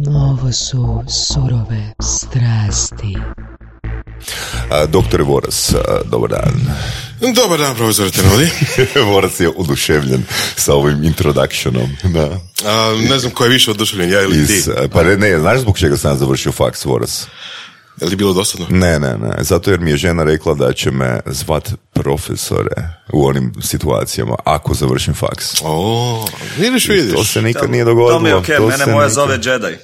Ovo su surove strasti. Doktore Voras, dobar dan. Dobar dan, profesor Tenodi. Voras je oduševljen sa ovim introductionom. Da. Ne znam ko je više oduševljen, ja ili ti. Pa ne, znaš zbog čega sam završio faks, Voras? Je li bilo dosadno? Ne, zato jer mi je žena rekla da će me zvat profesore u onim situacijama ako završim faks. Vidiš. To se nikad nije dogodilo. To mi je okej, mene moja zove Jedi.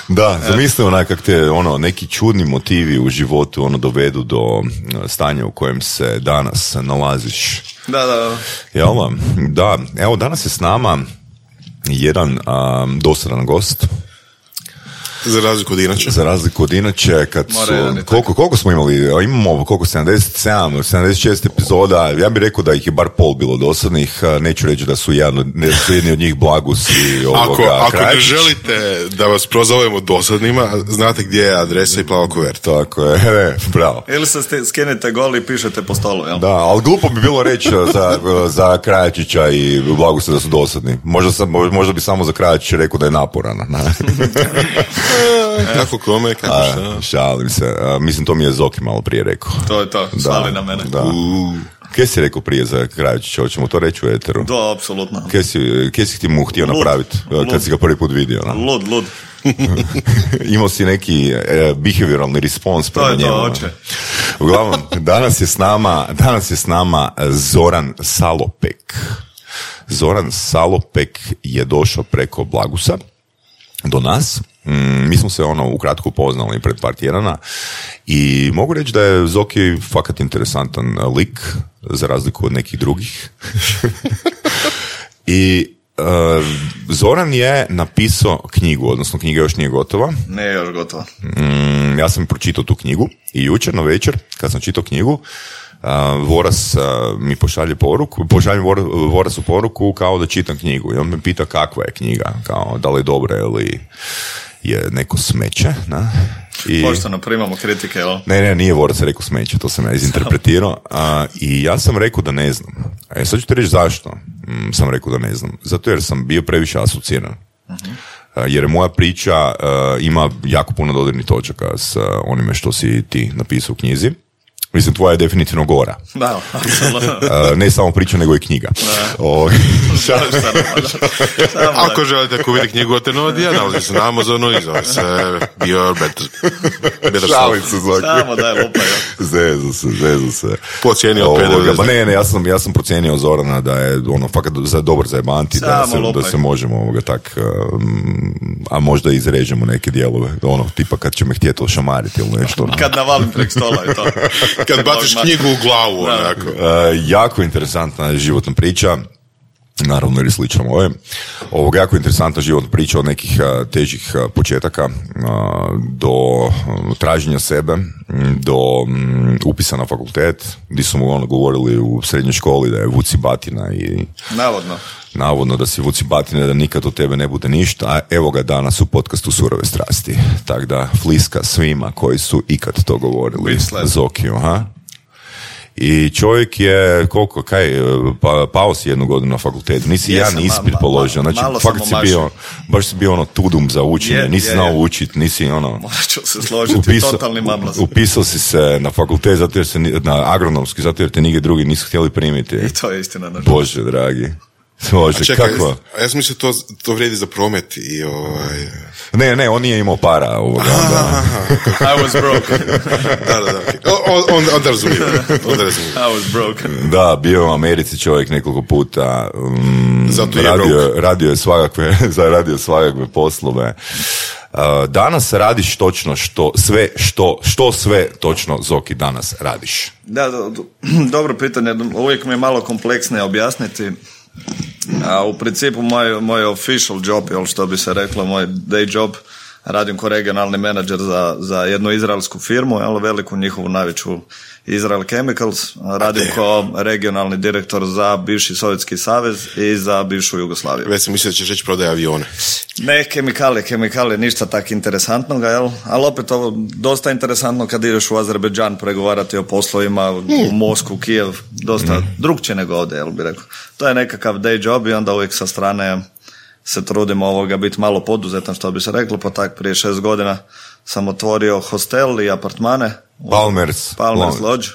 Da, zamisli onak kak te neki čudni motivi u životu dovedu do stanja u kojem se danas nalaziš. Da. Jel? Da, evo danas je s nama jedan dosadan gost. Za razliku od inače, kad su, koliko smo imali, imamo koliko, 76 epizoda, ja bih rekao da ih je bar pol bilo dosadnih, neću reći da su jedni od njih Blagus i Ako ne želite da vas prozovemo dosadnima, znate gdje je adresa i plava kuverta. Tako je, bravo. Ili se skenete gol i pišete po stolu, jel? Da, ali glupo bi bilo reći za Krajačića i Blagusa da su dosadni. Možda bi samo za Krajačića rekao da je naporan. Kako kome, kako šta? Šalim se. Mislim, to mi je Zoki malo prije rekao. To je to, šali na mene. Kaj si rekao prije za Krajačića? Hoćemo to reći u eteru? Da, apsolutno. Kaj si ti mu htio napraviti kad si ga prvi put vidio? Lud. Imao si neki behavioralni respons prema njemu. To je to, oče. Uglavnom, danas je s nama Zoran Salopek. Zoran Salopek je došao preko Blagusa do nas. Mi smo se ukratko upoznali pred par tjedana i mogu reći da je Zoki fakat interesantan lik za razliku od nekih drugih. I Zoran je napisao knjigu, odnosno knjiga još nije gotova. Ne je još gotova. Ja sam pročitao tu knjigu i jučer na večer kad sam čitao knjigu Voras mi pošalje poruku, pošaljem Vorasu poruku kao da čitam knjigu i on me pita kakva je knjiga, kao da li je dobra ili je neko smeće, na? Pošteno primamo kritike, jel? Ne, nije Vorac rekao smeće, to sam ja izinterpretirao i ja sam rekao da ne znam. Sad ću ti reći zašto sam rekao da ne znam. Zato jer sam bio previše asociran. Jer moja priča ima jako puno dodirnih točaka s onime što si ti napisao u knjizi. Mislim, tvoja je definitivno gora. Da, apsolutno. Ne samo priča, nego i knjiga. Ako želite kupiti knjigu od Tenodija, nalazi se na Amazonu i zove se Your Better Self. Šalim se, Zoki. Samo daj lupa, Zezu se. Pocijenio PDV. Ne, ja sam procijenio Zorana da je fakat dobar za jebanti, da se možemo tak, a možda izrežemo neke dijelove, tipa kad će me htjeti ošamariti ili nešto. Kad navalim prek stola i to. Kad baciš knjigu u glavu, onako. Jako interesantna životna priča, naravno jer je slično ovo. Jako interesantna životna priča od nekih težih početaka do traženja sebe, do upisa na fakultet, gdje su mu govorili u srednjoj školi da je vuci batina i... Navodno da si vuci batine, da nikad od tebe ne bude ništa, a evo ga danas u podcastu Surove strasti. Tako da fliska svima koji su ikad to govorili. Zokiju, I čovjek je, pao si 1 godinu na fakultetu, nisi jedan ispit položio, znači fakt baš si bio tudum za učenje, nisi znao učiti, nisi Morat ću se složiti, totalni mamlas. Upisao si se na fakultet, na agronomski, zato jer te nigdje drugi nisu htjeli primiti. I to je istina. Bože, dragi. Čekaj, ja sam mislio to vrijedi za promet i Ne, on nije imao para ovoga. I was broke. Da. Onda razumijem. I was broke. Da, bio u Americi čovjek nekoliko puta. Radio je svakakve poslove. Danas radiš točno što sve točno, Zoki, danas radiš? Da, dobro pitanje. Uvijek mi je malo kompleksnije objasniti. A u principu moj official job, što bi se reklo, moj day job, radim kao regionalni menadžer za jednu izraelsku firmu, veliku njihovu najveću Israel Chemicals, radim kao regionalni direktor za bivši Sovjetski savez i za bivšu Jugoslaviju. Već sam mislio da ćeš reći prodaje avione. Ne, kemikale, ništa tak interesantnog, ali opet ovo dosta interesantno kad ideš u Azerbejdžan pregovarati o poslovima, u Moskvu, Kijev, dosta drugčije nego ovdje, jel bi rekao. To je nekakav day job i onda uvijek sa strane se trudim biti malo poduzetan, što bi se reklo, pa tak prije 6 godina sam otvorio hostel i apartmane. Palmer's Lodge.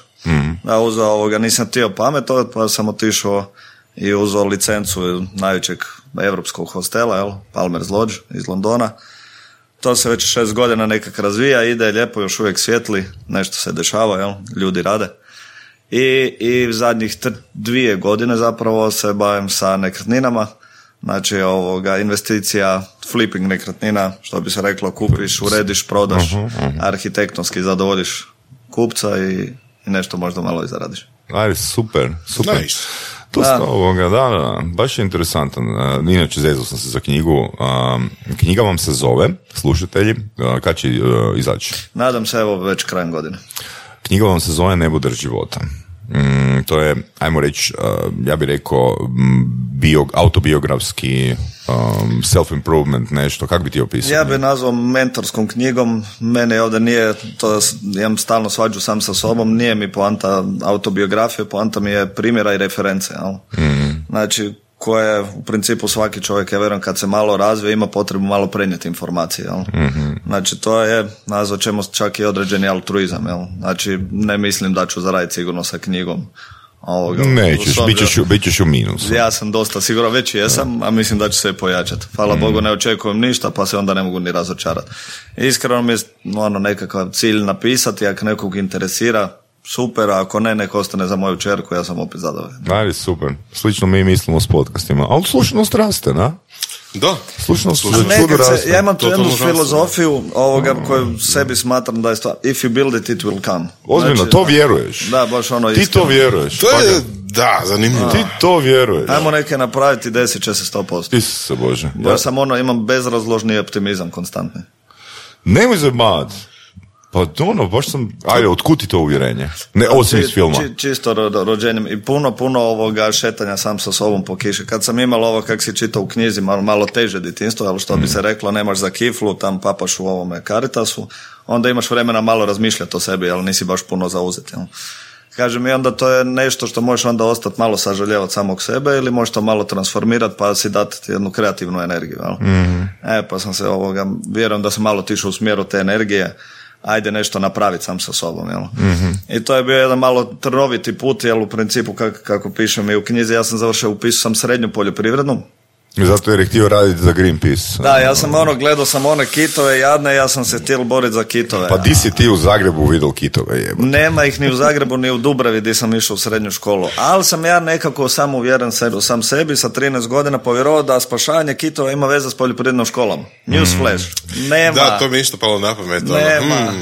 Da, uzeo nisam htio pametovati, pa sam otišao i uzeo licencu najvećeg evropskog hostela, Palmer's Lodge iz Londona. To se već 6 godina nekak razvija, ide lijepo, još uvijek svijetli, nešto se dešava, ljudi rade. I zadnjih 2 godine zapravo se bavim sa nekretninama. Znači investicija, flipping nekretnina, što bi se reklo, kupiš, urediš, prodaš, arhitektonski zadovoljiš kupca i nešto možda malo i zaradiš. Ajde, super. Nice. Da, baš je interesantan. Inače, zezao sam se za knjigu. Knjiga vam se zove, slušatelji, kad će izaći? Nadam se, već krajem godine. Knjiga vam se zove Nebo drž života. To je, ajmo reći, ja bih rekao autobiografski self-improvement, nešto, kako bi ti opisao? Ja bih nazvao mentorskom knjigom. Mene ovdje nije, to imam stalno svađu sam sa sobom, nije mi poanta autobiografije, poanta mi je primjera i reference. Znači, koje u principu svaki čovjek, ja vjerujem, kad se malo razvije, ima potrebu malo prenijeti informacije. Znači, to je, nazvat ćemo čak i određeni altruizam. Znači, ne mislim da ću zaraditi sigurno sa knjigom. Nećeš, bit ćeš u minusu. Ja sam dosta siguran, već jesam, a mislim da će se pojačati. Hvala Bogu, ne očekujem ništa, pa se onda ne mogu ni razočarati. Iskreno mi je nekakav cilj napisati, ako nekog interesira, super, a ako ne, nek ostane za moju čerku, ja sam opet zadovoljan. Ajde, super. Slično mi mislimo s podcastima, ali slušanost raste, na? Da. Slušanost raste. Ja imam tu jednu filozofiju koju sebi smatram da je stvar, if you build it, it will come. Ozbiljno, znači, to vjeruješ. Da, baš iskreno. Ti to vjeruješ. To je, da, zanimljivo. Ti to vjeruješ. Ajmo neke napraviti, desit će se 100%. Isuse Bože. Ja sam imam bezrazložni optimizam konstantni. Nemoj zabavat. Pa baš sam, ajde, otkud ti to uvjerenje? Ne, osim iz filma. Čisto rođenjem i puno šetanja sam sa sobom po kiši. Kad sam imao ovo, kak si čitao u knjizi, malo teže djetinjstvo, ali što bi se reklo, nemaš za kiflu, tam papaš u ovome Caritasu, onda imaš vremena malo razmišljati o sebi, ali nisi baš puno zauzeti. Kažem, i onda to je nešto što možeš onda ostati malo sažaljevati samog sebe ili možeš to malo transformirati pa si dati jednu kreativnu energiju. Pa sam se vjerujem da sam malo tišao u smjeru te energije, ajde nešto napraviti sam sa sobom, I to je bio jedan malo trnoviti put, u principu kako pišem i u knjizi, ja sam završio, upisao sam srednju poljoprivrednu. Zato jer je htio raditi za Greenpeace. Da, ja sam gledao sam one kitove jadne, ja sam se htio boriti za kitove. Pa di si ti u Zagrebu vidio kitove, jebote? Nema ih ni u Zagrebu, ni u Dubravi gdje sam išao u srednju školu. Ali sam ja nekako sam uvjeren sam sebi sa 13 godina povjerovao da spašavanje kitova ima veze s poljoprivrednom školom. Newsflash. Nema. Da, to mi isto palo na pamet. Nema.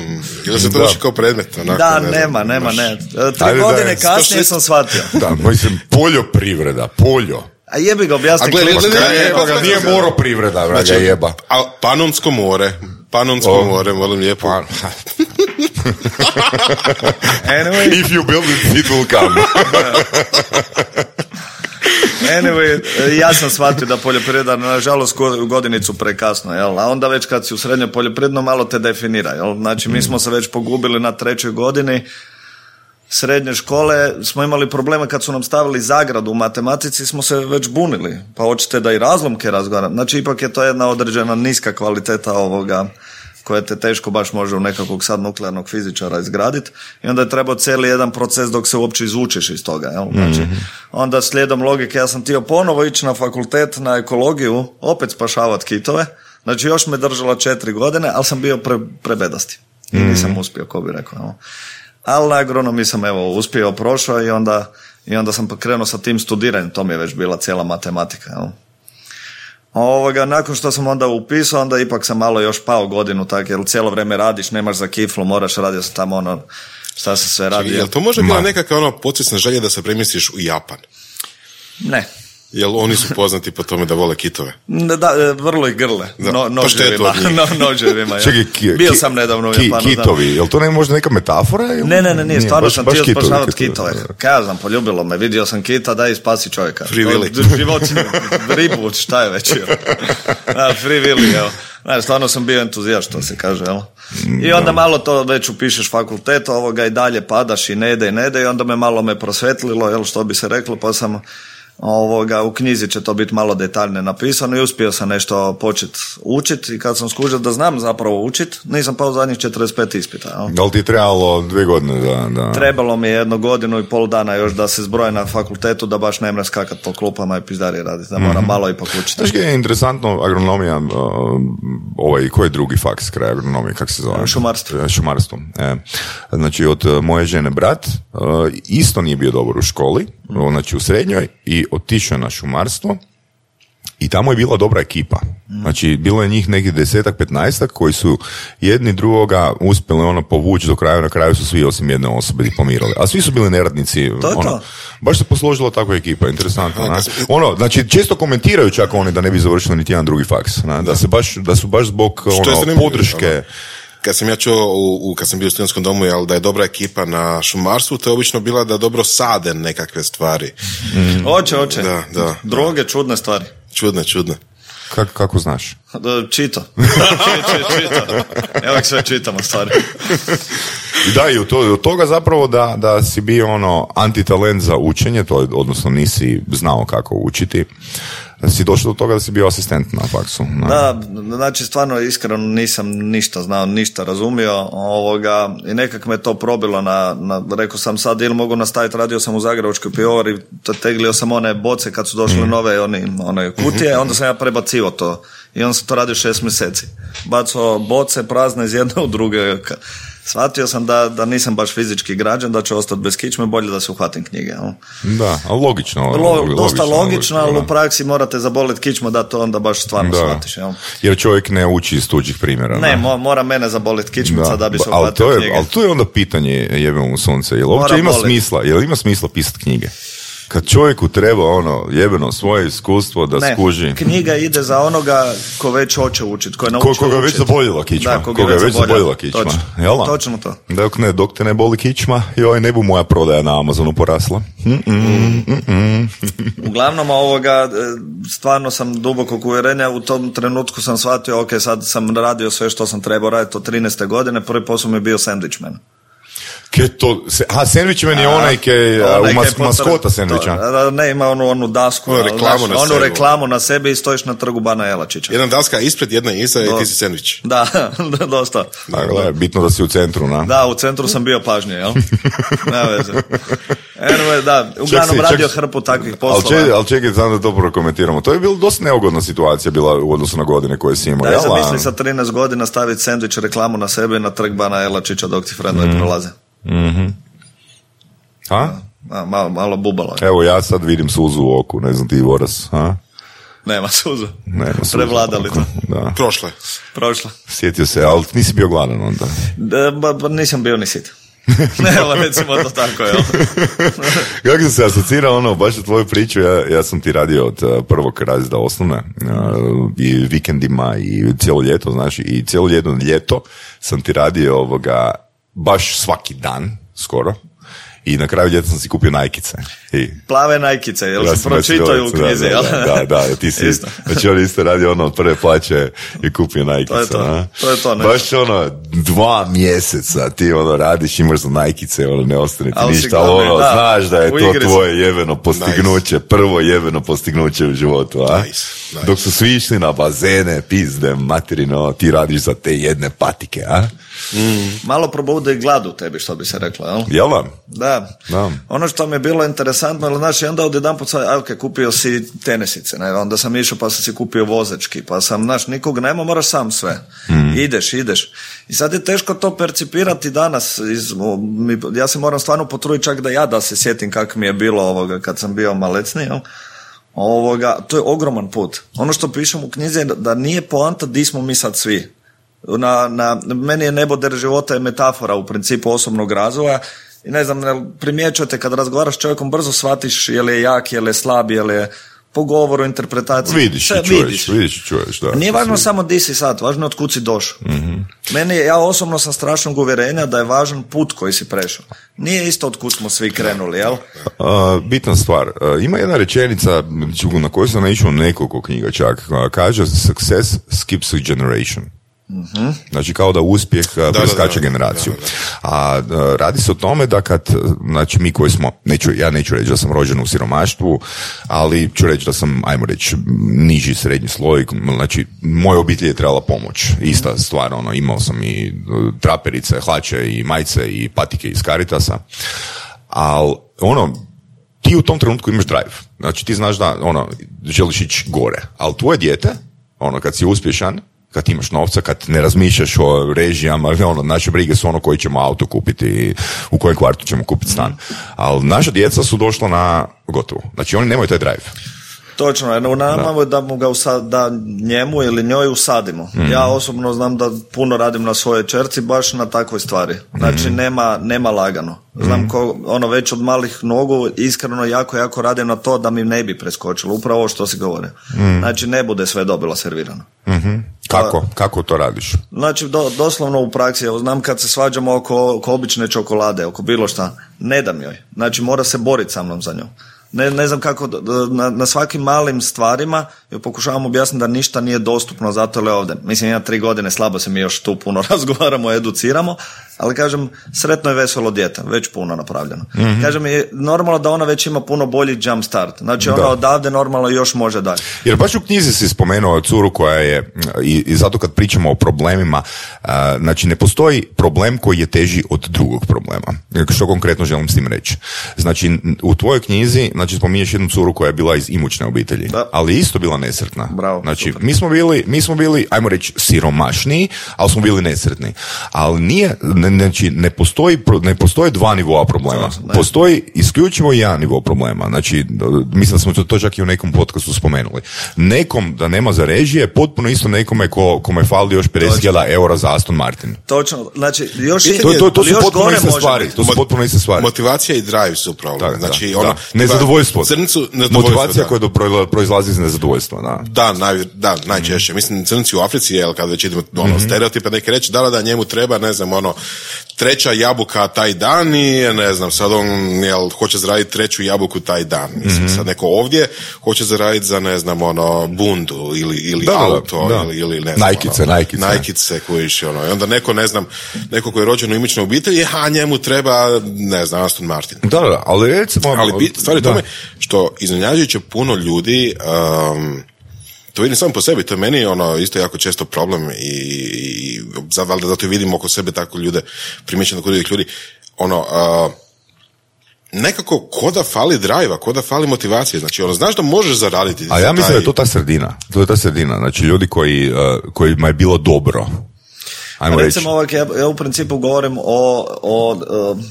Ili se to uči kao predmet? Onako, da, nema. 3 godine kasnije sam shvatio. Da, mislim, poljoprivreda, A jebi ga objasni. Nije moroprivreda, vraga jeba. A Panonsko more, molim lijepo. Anyway. If you build it, it will come. Anyway, ja sam shvatio da poljoprivreda, nažalost, godinicu prekasno, a onda već kad si u srednjoj poljoprivredno malo te definira, Znači, mi smo se već pogubili na 3. godini srednje škole, smo imali probleme kad su nam stavili zagradu u matematici, smo se već bunili, pa hoćete da i razlomke razgovaram. Znači, ipak je to jedna određena niska kvaliteta ovoga koja te teško baš može u nekakvog sad nuklearnog fizičara izgraditi i onda je trebao cijeli jedan proces dok se uopće izvučeš iz toga. Znači, onda slijedom logike ja sam htio ponovo ići na fakultet na ekologiju, opet spašavati kitove, znači još me držala 4 godine, ali sam bio prebedasti i nisam uspio, ko bi rekao. Ali na agronomiji sam uspio, prošao i onda sam krenuo sa tim studiranjem, to mi je već bila cijela matematika. Nakon što sam onda upisao, onda ipak sam malo još pao godinu, tako, jer cijelo vrijeme radiš, nemaš za kiflu, moraš raditi tamo šta se sve radi. Jel to može bila nekakva podsvjesna želja da se premjestiš u Japan? Ne. Jel oni su poznati po tome da vole kitove? Da, vrlo ih grle. Noževima. Bio sam nedavno u Japanu. Kitovi, jel to ne možda neka metafora? Ne, stvarno sam htio spašavati kitove. Kaj znam, poljubilo me, vidio sam kita, daj spasi čovjeka. Free Willy. Životinju, ribu, šta je već? Free Willy, evo. Stvarno sam bio entuzijast, što se kaže, jel? I onda malo to već upišeš fakultet, i dalje padaš i ne ide, i onda malo me prosvetlilo, jel, što bi se reklo, pa sam u knjizi će to biti malo detaljne napisano i uspio sam nešto početi učiti i kad sam skužio da znam zapravo učiti, nisam pao zadnjih 45 ispita. Jel? Da li ti trebalo 2 godine? Da... Trebalo mi je 1 godinu i pol dana još da se zbroje na fakultetu, da baš ne mre skakat po klupama i pizdarije raditi, da moram malo ipak učiti. Znaš je interesantno, agronomija, koji je drugi faks kraj agronomije, kako se zove? Šumarstvo. Znači, od moje žene brat isto nije bio dobar u školi, znači u srednjoj, i otišao na šumarstvo i tamo je bila dobra ekipa. Znači, bilo je njih nekih 10-15 koji su jedni drugoga uspjeli povući do kraja, na kraju su svi osim jedne osobe diplomirali. A svi su bili neradnici. Baš se posložila takva ekipa, interesantno. Znači, često komentiraju čak oni da ne bi završili niti jedan drugi faks. Da su baš zbog podrške. Kad sam ja čuo, kad sam bio u studentskom domu, da je dobra ekipa na šumarstvu, to je obično bila da dobro sade nekakve stvari. Oće. Da. Droge, čudne stvari. Čudne. Kako znaš? Čito. Evo sve čitamo stvari. Da, i od toga zapravo da si bio antitalent za učenje, odnosno nisi znao kako učiti, si došao do toga da si bio asistent na faksu. Da, znači stvarno iskreno nisam ništa znao, ništa razumio i nekak me to probilo rekao sam sad ili mogu nastaviti, radio sam u Zagrebačkoj pivovari, teglio sam one boce kad su došle nove one kutije, onda sam ja prebacio to i onda sam to radio 6 mjeseci. Bacao boce prazne iz jedne u druge. Shvatio sam da nisam baš fizički građan, da će ostati bez kičme, bolje da se uhvatim knjige. Da, ali logično. Dosta logično, ali u praksi morate zaboliti kičmu da to onda baš stvarno shvatiš. Jer čovjek ne uči iz tuđih primjera. Ne, mora mene zaboliti kičmica da bi se uhvatio knjige. Ali to je onda pitanje, jebemo u sunce, jel uopće ima smisla pisati knjige? Kad čovjeku treba jebeno svoje iskustvo da skuži. Knjiga ide za onoga ko već hoće učiti, ko je naučio učiti. Koga već zaboljila kičma. Da, koga je već zaboljila kičma. Točno to. Dok te ne boli kičma, ne bu moja prodaja na Amazonu porasla. Uglavnom stvarno sam dubokog uvjerenja, u tom trenutku sam shvatio, sad sam radio sve što sam trebao raditi od 13. godine, prvi posao mi je bio sandvičman. Sandvičman je onaj maskota sandviča. Ne, ima onu dasku, reklamu na sebi i stojiš na trgu Bana Jelačića. Jedna daska ispred, jedna iza i ti si sandvič. Da, dosta. Dakle, bitno da si u centru, na? Da, u centru sam bio pažnje, jel? Ne veze. Uglavnom radio hrpu takvih poslova. Ali čekaj, znam da to prokomentiramo. To je bilo dosta neugodna situacija bila u odnosu na godine koje si imao. Da, zamisli sa 13 godina staviti sandvič reklamu na sebe na trg Bana Jelačića dok ti frendovi prolaze. Malo bubalo. Evo ja sad vidim suzu u oku, ne znam ti Voras. Nema suzu. Prevladali to. Da. Prošla. Sjetio se, ali nisi bio gladan onda. Nisam bio ni sit. Evo, recimo to tako, jel? Kako sam se asocirao, baš u tvoju priču, ja sam ti radio od prvog razreda osnovne i vikendima i cijelo ljeto, znači, i cijelo jedno ljeto sam ti radio baš svaki dan, skoro. I na kraju ljeta sam si kupio najkice. Plave najkice, jel se pročitaju u knjizi, jel? Da, ti si, znači on isto radi od prve plaće i kupio najkice. To je to. Baš 2 mjeseca ti radiš, imaš za najkice, ne ostane ti ništa, znaš da je to tvoje jebeno postignuće, prvo jebeno postignuće u životu, a? Nice. Dok su svi išli na bazene, pizde, materino, ti radiš za te jedne patike, a? Malo probude gladu tebi, što bi se reklo, jel? Jel vam? Da. Ono što mi je bilo interesantno, znači onda odjedanput kupio si tenisice, ne? Onda sam išao pa sam si kupio vozački, pa sam, nikog nema, moraš sam sve. Ideš. I sad je teško to percipirati danas. Ja se moram stvarno potruditi čak da se sjetim kako mi je bilo kad sam bio malecni, jel? To je ogroman put. Ono što pišem u knjizi je da nije poanta di smo mi sad svi. Meni je neboder života je metafora u principu osobnog razvoja i ne znam, primjećujete kad razgovaraš s čovjekom brzo shvatiš je li je jak, je li je slab, je li je po govoru, interpretaciji. Vidiš i čuješ, da. Nije važno samo di si sad, važno je od kud si došao. Ja osobno sam strašnog uvjerenja da je važan put koji si prešao. Nije isto od kud smo svi krenuli, jel? Bitna stvar. Ima jedna rečenica na koju sam naišao nekoliko knjiga čak. Kaže, success skips a generation. Znači kao da uspjeh preskače generaciju. A radi se o tome da kad, znači mi koji smo, ja neću reći da sam rođen u siromaštvu, ali ću reći da sam, ajmo reći, niži srednji sloj, znači moja obitelj je trebala pomoć. Ista stvar, imao sam i traperice, hlače i majice i patike iz Caritasa, ali ti u tom trenutku imaš drive. Znači ti znaš da želiš ići gore, ali tvoje dijete, kad si uspješan, kad imaš novca, kad ne razmišljaš o režijama, naše brige su koji ćemo auto kupiti i u kojem kvartu ćemo kupiti stan. Ali naša djeca su došla na gotovo. Znači oni nemaju taj drive. Točno, u nama da mu ga da njemu ili njoj usadimo. Ja osobno znam da puno radim na svojoj čerci baš na takvoj stvari. Znači nema lagano. Znam već od malih nogu iskreno jako radim na to da mi ne bi preskočilo. Upravo ovo što si govorio. Znači ne bude sve dobilo servirano. Kako to radiš? Znači doslovno u praksi. Znam kad se svađamo oko obične čokolade, oko bilo šta, ne dam joj. Znači mora se boriti sa mnom za njom. Ne znam kako, na svakim malim stvarima pokušavam objasniti da ništa nije dostupno zato je ovdje. Mislim, ima 3 godine, slabo se mi još tu puno razgovaramo, educiramo, ali kažem, sretno je veselo dijete, već puno napravljeno. Kažem, je normalno da ona već ima puno bolji jump start, znači ona odavde normalno još može dalje. Jer baš u knjizi si spomenuo curu koja je, i zato kad pričamo o problemima, znači ne postoji problem koji je teži od drugog problema. Što konkretno želim s tim reći? Znači, u tvojoj knjizi, znači spominješ jednu curu koja je bila iz imućne obitelji, ali isto bila nesretna. Bravo, znači, mi smo bili, ajmo reći, siromašniji, ali smo bili nesretni. Ali nije, znači, ne postoji 2 nivoa problema. Postoji isključivo jedan nivo problema. Znači, mislim da smo to čak i u nekom podcastu spomenuli. Nekom da nema za režije, potpuno isto nekome kome fali još 50.000 eura za Aston Martin. Točno, znači, još to su potpuno iste stvari. To su potpuno iste stvari. Motivacija i drive su problem. Znači, nezadovoljstvo. Motivacija koja proizlazi iz nezadovoljstva. Da, najčešće. Mislim, crnci u Africi, kad već idemo stereotipe, neki reći, da njemu treba, ne znam, 3. jabuka taj dan i, ne znam, sad on hoće zaraditi 3. jabuku taj dan. Mislim, sad neko ovdje hoće zaraditi za, ne znam, bundu ili auto, ili ne znam, Nike-ce kojiš, i onda neko, ne znam, neko koji je rođen u imućnoj obitelji, njemu treba, ne znam, Aston Martin. Ali recimo... Ali stvari tome, što iznenađujuće puno ljudi, to vidim samo po sebi, to je meni isto jako često problem i valjda zato vidim oko sebe tako ljude, primjećeno kod drugih ljudi, nekako ko da fali drive-a, ko da fali motivacije, znači znaš da možeš zaraditi. A ja mislim da je to ta sredina, znači ljudi kojima je bilo dobro. Recimo, ja u principu govorim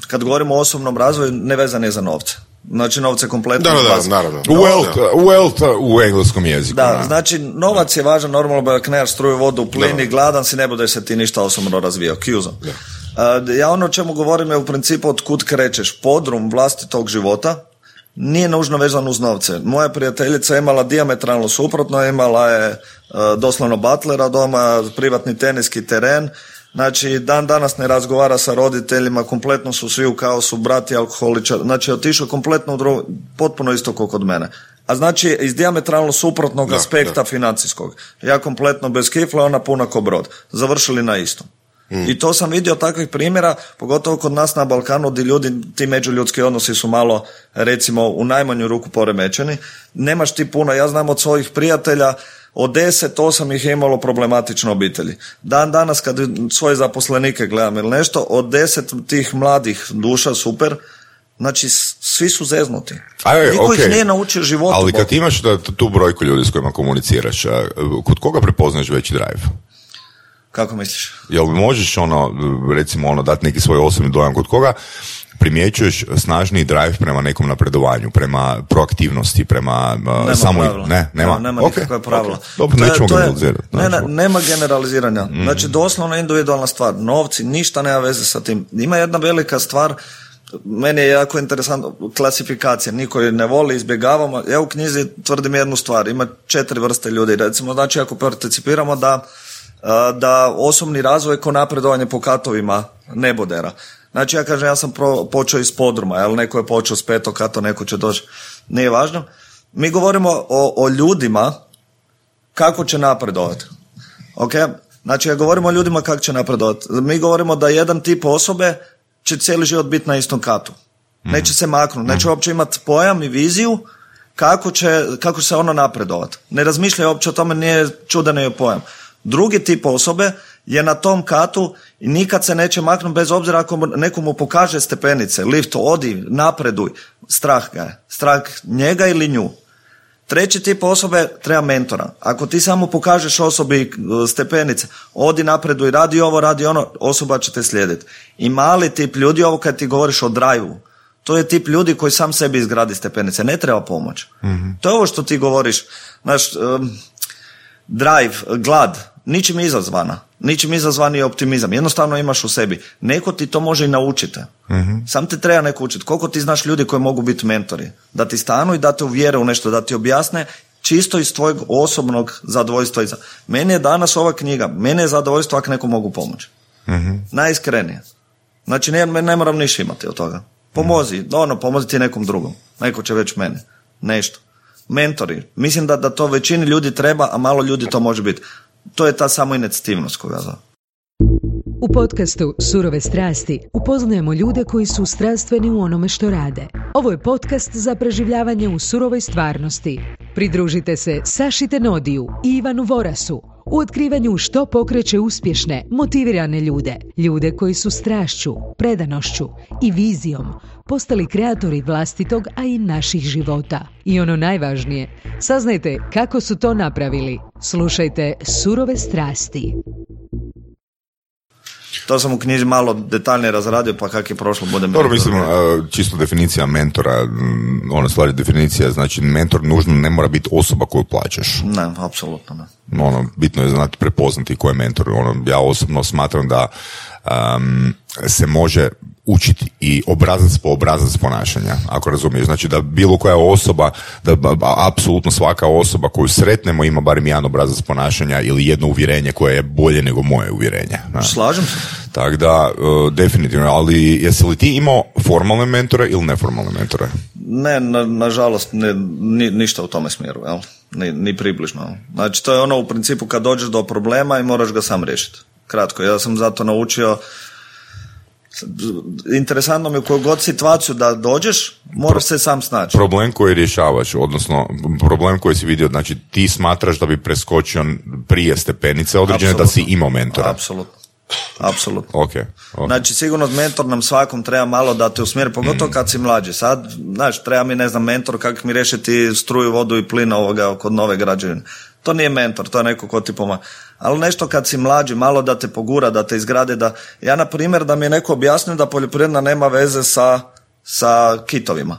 kad govorimo o osobnom razvoju, ne vezan je za novce. Znači novce kompletno. Naravno. Wealth u engleskom jeziku. Znači novac je važan, normalno kner struju, vodu, plin i gladan si, ne bude se ti ništa osobno razvijao. Kjuzo. Ja o čemu govorim je u principu od kud krećeš. Podrum vlastitog života nije nužno vezan uz novce. Moja prijateljica je imala dijametralno suprotno, imala je doslovno butlera doma, privatni teniski teren. Znači, dan danas ne razgovara sa roditeljima, kompletno su svi u kaosu, brati alkoholičar, znači otišao kompletno potpuno isto kao kod mene. A znači, iz dijametralno suprotnog aspekta financijskog. Ja kompletno bez kifla, ona puna ko brod. Završili na istom. I to sam vidio takvih primjera, pogotovo kod nas na Balkanu, gdje ljudi, ti međuljudski odnosi su malo, recimo, u najmanju ruku poremećeni. Nemaš ti puno, ja znam od svojih prijatelja, od 10, 8 ih je imalo problematične obitelji. Dan danas kad svoje zaposlenike gledam ili nešto, od 10 tih mladih duša, super, znači svi su zeznuti. Niko ih nije naučio životu. Ali kad imaš tu brojku ljudi s kojima komuniciraš, kod koga prepoznaš veći drive? Kako misliš? Jel možeš recimo dati neki svoj osobni dojam kod koga primjećuješ snažniji drive prema nekom napredovanju, prema proaktivnosti, prema nema nikakve pravila. Dobro, nećemo generalizirati. Nema generaliziranja. Znači, doslovno individualna stvar. Novci, ništa nema veze sa tim. Ima jedna velika stvar, meni je jako interesantno klasifikacija, niko je ne voli, izbjegavamo. Ja u knjizi tvrdim jednu stvar, ima 4 vrste ljudi. Recimo, znači ako participiramo da osobni razvoj ko napredovanje po katovima nebodera. Znači ja kažem, ja sam počeo iz podruma, jel, neko je počeo s 5. kato, neko će doći, nije važno. Mi govorimo o ljudima kako će napredovati. Ok? Znači ja govorimo o ljudima kako će napredovati. Mi govorimo da jedan tip osobe će cijeli život biti na istom katu. Neće se maknuti, neće uopće imati pojam i viziju kako će se ono napredovati. Ne razmišljaju uopće o tome, nije čudan je pojam. Drugi tip osobe je na tom katu i nikad se neće maknuti bez obzira ako nekomu pokaže stepenice, lift, odi, napreduj. Strah ga je. Strah njega ili nju. Treći tip osobe treba mentora. Ako ti samo pokažeš osobi stepenice, odi, napreduj, radi ovo, radi ono, osoba će te slijediti. I mali tip ljudi, ovo kad ti govoriš o drive-u, to je tip ljudi koji sam sebi izgradi stepenice, ne treba pomoć. Mm-hmm. To je ovo što ti govoriš, znaš, drive, glad, ničim izazvana. Ničim izazvani je optimizam. Jednostavno imaš u sebi. Neko ti to može i naučiti. Mm-hmm. Sam te treba neko učiti. Koliko ti znaš ljudi koji mogu biti mentori? Da ti stanu i da te uvjere u nešto, da ti objasne čisto iz tvojeg osobnog zadovoljstva. Meni je danas ova knjiga, mene je zadovoljstvo ako neko mogu pomoći. Mm-hmm. Najiskrenije. Znači ne moram ništa imati od toga. Pomozi, pomozi ti nekom drugom. Neko će već mene. Nešto. Mentori. Mislim da to većini ljudi treba, a malo ljudi to može biti. To je ta samoinicijativnost koju ja zove. U podcastu Surove strasti upoznajemo ljude koji su strastveni u onome što rade. Ovo je podcast za preživljavanje u surovoj stvarnosti. Pridružite se Saši Tenodiju i Ivanu Vorasu u otkrivanju što pokreće uspješne, motivirane ljude. Ljude koji su strašću, predanošću i vizijom postali kreatori vlastitog, a i naših života. I ono najvažnije, saznajte kako su to napravili. Slušajte Surove strasti. To sam u knjiži malo detaljnije razradio, pa kak je prošlo bude mentor. Dobro, mislim, čisto definicija mentora, ona stvari definicija, znači mentor nužno ne mora biti osoba koju plaćaš. Ne, apsolutno ne. Bitno je znati prepoznati ko je mentor. Ja osobno smatram da se može učiti i obrazac po obrazac ponašanja, ako razumiješ. Znači da bilo koja osoba, da apsolutno svaka osoba koju sretnemo ima barem jedan obrazac ponašanja ili jedno uvjerenje koje je bolje nego moje uvjerenje. Slažem se. Tako da, definitivno, ali jesi li ti imao formalne mentore ili neformalne mentore? Ne, nažalost, ništa u tome smjeru, jel? Ni približno. Znači, to je ono u principu kad dođeš do problema i moraš ga sam riješiti. Kratko, ja sam zato naučio. Interesantno mi je u koju god situaciju da dođeš, moraš se sam snaći. Problem koji rješavaš, odnosno problem koji si vidio, znači ti smatraš da bi preskočio prije stepenice određene. Absolutno. Da si imao mentora. Apsolutno. Okay. Znači sigurno mentor nam svakom treba malo da te usmjeri, pogotovo kad si mlađi. Sad, znaš, treba mi, mentor kako mi riješiti struju, vodu i plin kod nove građevine. To nije mentor, to je neko ko ti pomaga. Ali nešto kad si mlađi, malo da te pogura, da te izgrade, ja na primjer da mi je neko objasnio da poljoprivredna nema veze sa kitovima.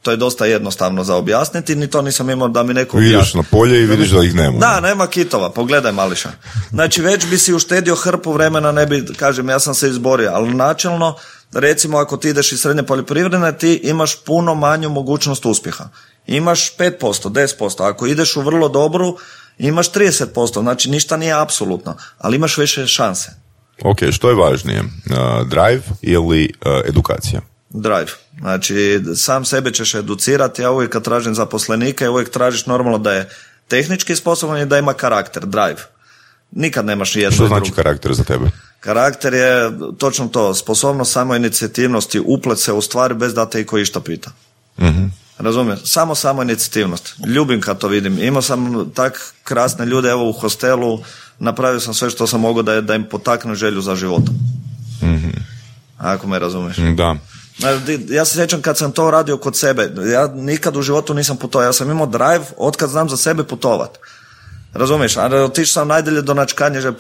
To je dosta jednostavno za objasniti, ni to nisam imao da mi neko objasni. Vidiš na polje i vidiš da ih nema. Da, nema kitova, pogledaj mališa. Znači već bi si uštedio hrpu vremena, ne bi, kažem, ja sam se izborio, ali načelno, recimo ako ti ideš iz srednje poljoprivredne, ti imaš puno manju mogućnost uspjeha. Imaš 5%, 10%, ako ideš u vrlo dobru, imaš 30%, znači ništa nije apsolutno, ali imaš više šanse. Ok, što je važnije, drive ili edukacija? Drive, znači sam sebe ćeš educirati, ja uvijek kad tražim zaposlenike, uvijek tražiš normalno da je tehnički sposoban i da ima karakter, drive. Nikad nemaš jedno. Što znači karakter za tebe? Karakter je točno to, sposobnost samoinicijativnosti, uplet se u stvari bez da te iko išta pita. Mhm. Razumijem, samo inicijativnost. Ljubim kad to vidim. Imao sam tak krasne ljude, evo u hostelu, napravio sam sve što sam mogao da im potakne želju za životom. Mm-hmm. Ako me razumiješ. Da. Ja se sjećam kad sam to radio kod sebe, ja nikad u životu nisam putovao, ja sam imao drive otkad znam za sebe putovat. Razumiješ, a otišao sam najdalje do Načkanježe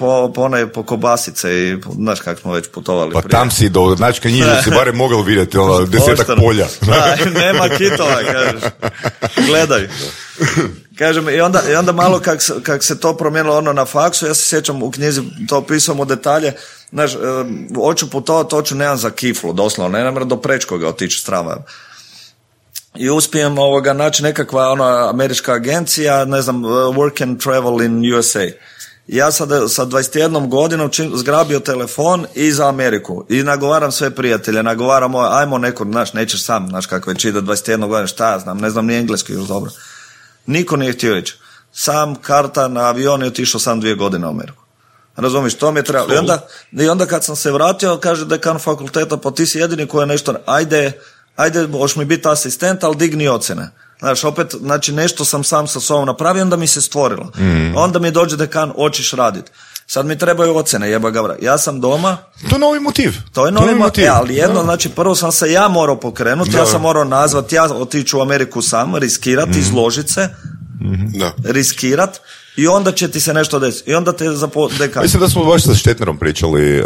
po kobasice i znaš kako smo već putovali. Pa prije. Tam si do Načkanježe si barem mogao vidjeti 10 polja. Da, nema kitova, kažeš. Gledaj. Kažem, i onda malo kak se to promijenilo ono na faksu, ja se sjećam u knjizi, to opisam u detalje, znaš, hoću putovati, hoću nemam za kiflu, doslovno, ne moram do Prečkoga otići s tramvajem. I uspijem naći nekakva američka agencija, ne znam, work and travel in USA. Ja sa 21 godinom zgrabio telefon i za Ameriku i nagovaram sve prijatelje, nagovaram ajmo neko, znaš, nećeš sam, znaš kako već ide 21 godina, šta ja znam, ne znam ni engleski još dobro. Niko nije htio ići. Sam karta na avion je otišao sam 2 godine u Ameriku. Razumiš, to mi je trebalo. I onda kad sam se vratio, kaže dekan fakulteta, pa ti si jedini koji je nešto, ajde, hoš mi biti asistent, ali digni ocjene. Znaš, opet, znači nešto sam sam sa sobom napravio, onda mi se stvorilo. Onda mi dođe dekan, hoćeš raditi. Sad mi trebaju ocjene, jeba gavra. Ja sam doma. To je novi motiv. To je novi motiv. Ali jedno, znači prvo sam se ja morao pokrenuti, ja sam morao nazvati, ja otiću u Ameriku sam, riskirati, izložiti se, riskirati. I onda će ti se nešto desiti. I onda te dekan. Mislim da smo baš sa Štetnerom pričali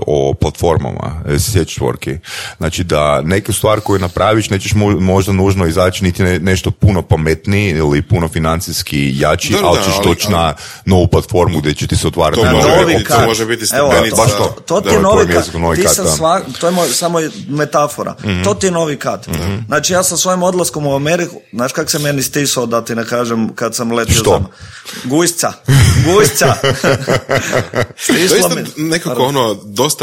o platformama, sjećvorki. Znači da neku stvar koju napraviš nećeš možda nužno izaći niti nešto puno pametniji ili puno financijski jači, ali ćeš doći na novu platformu gdje će ti se otvarati. To može biti stepenica. To ti je novi kat. To je samo metafora. To ti je novi kat. Znači ja sa svojim odlaskom u Ameriku, znaš kak se meni stisao, da ti ne kažem, kad sam letio za Gujsca. Doista nekako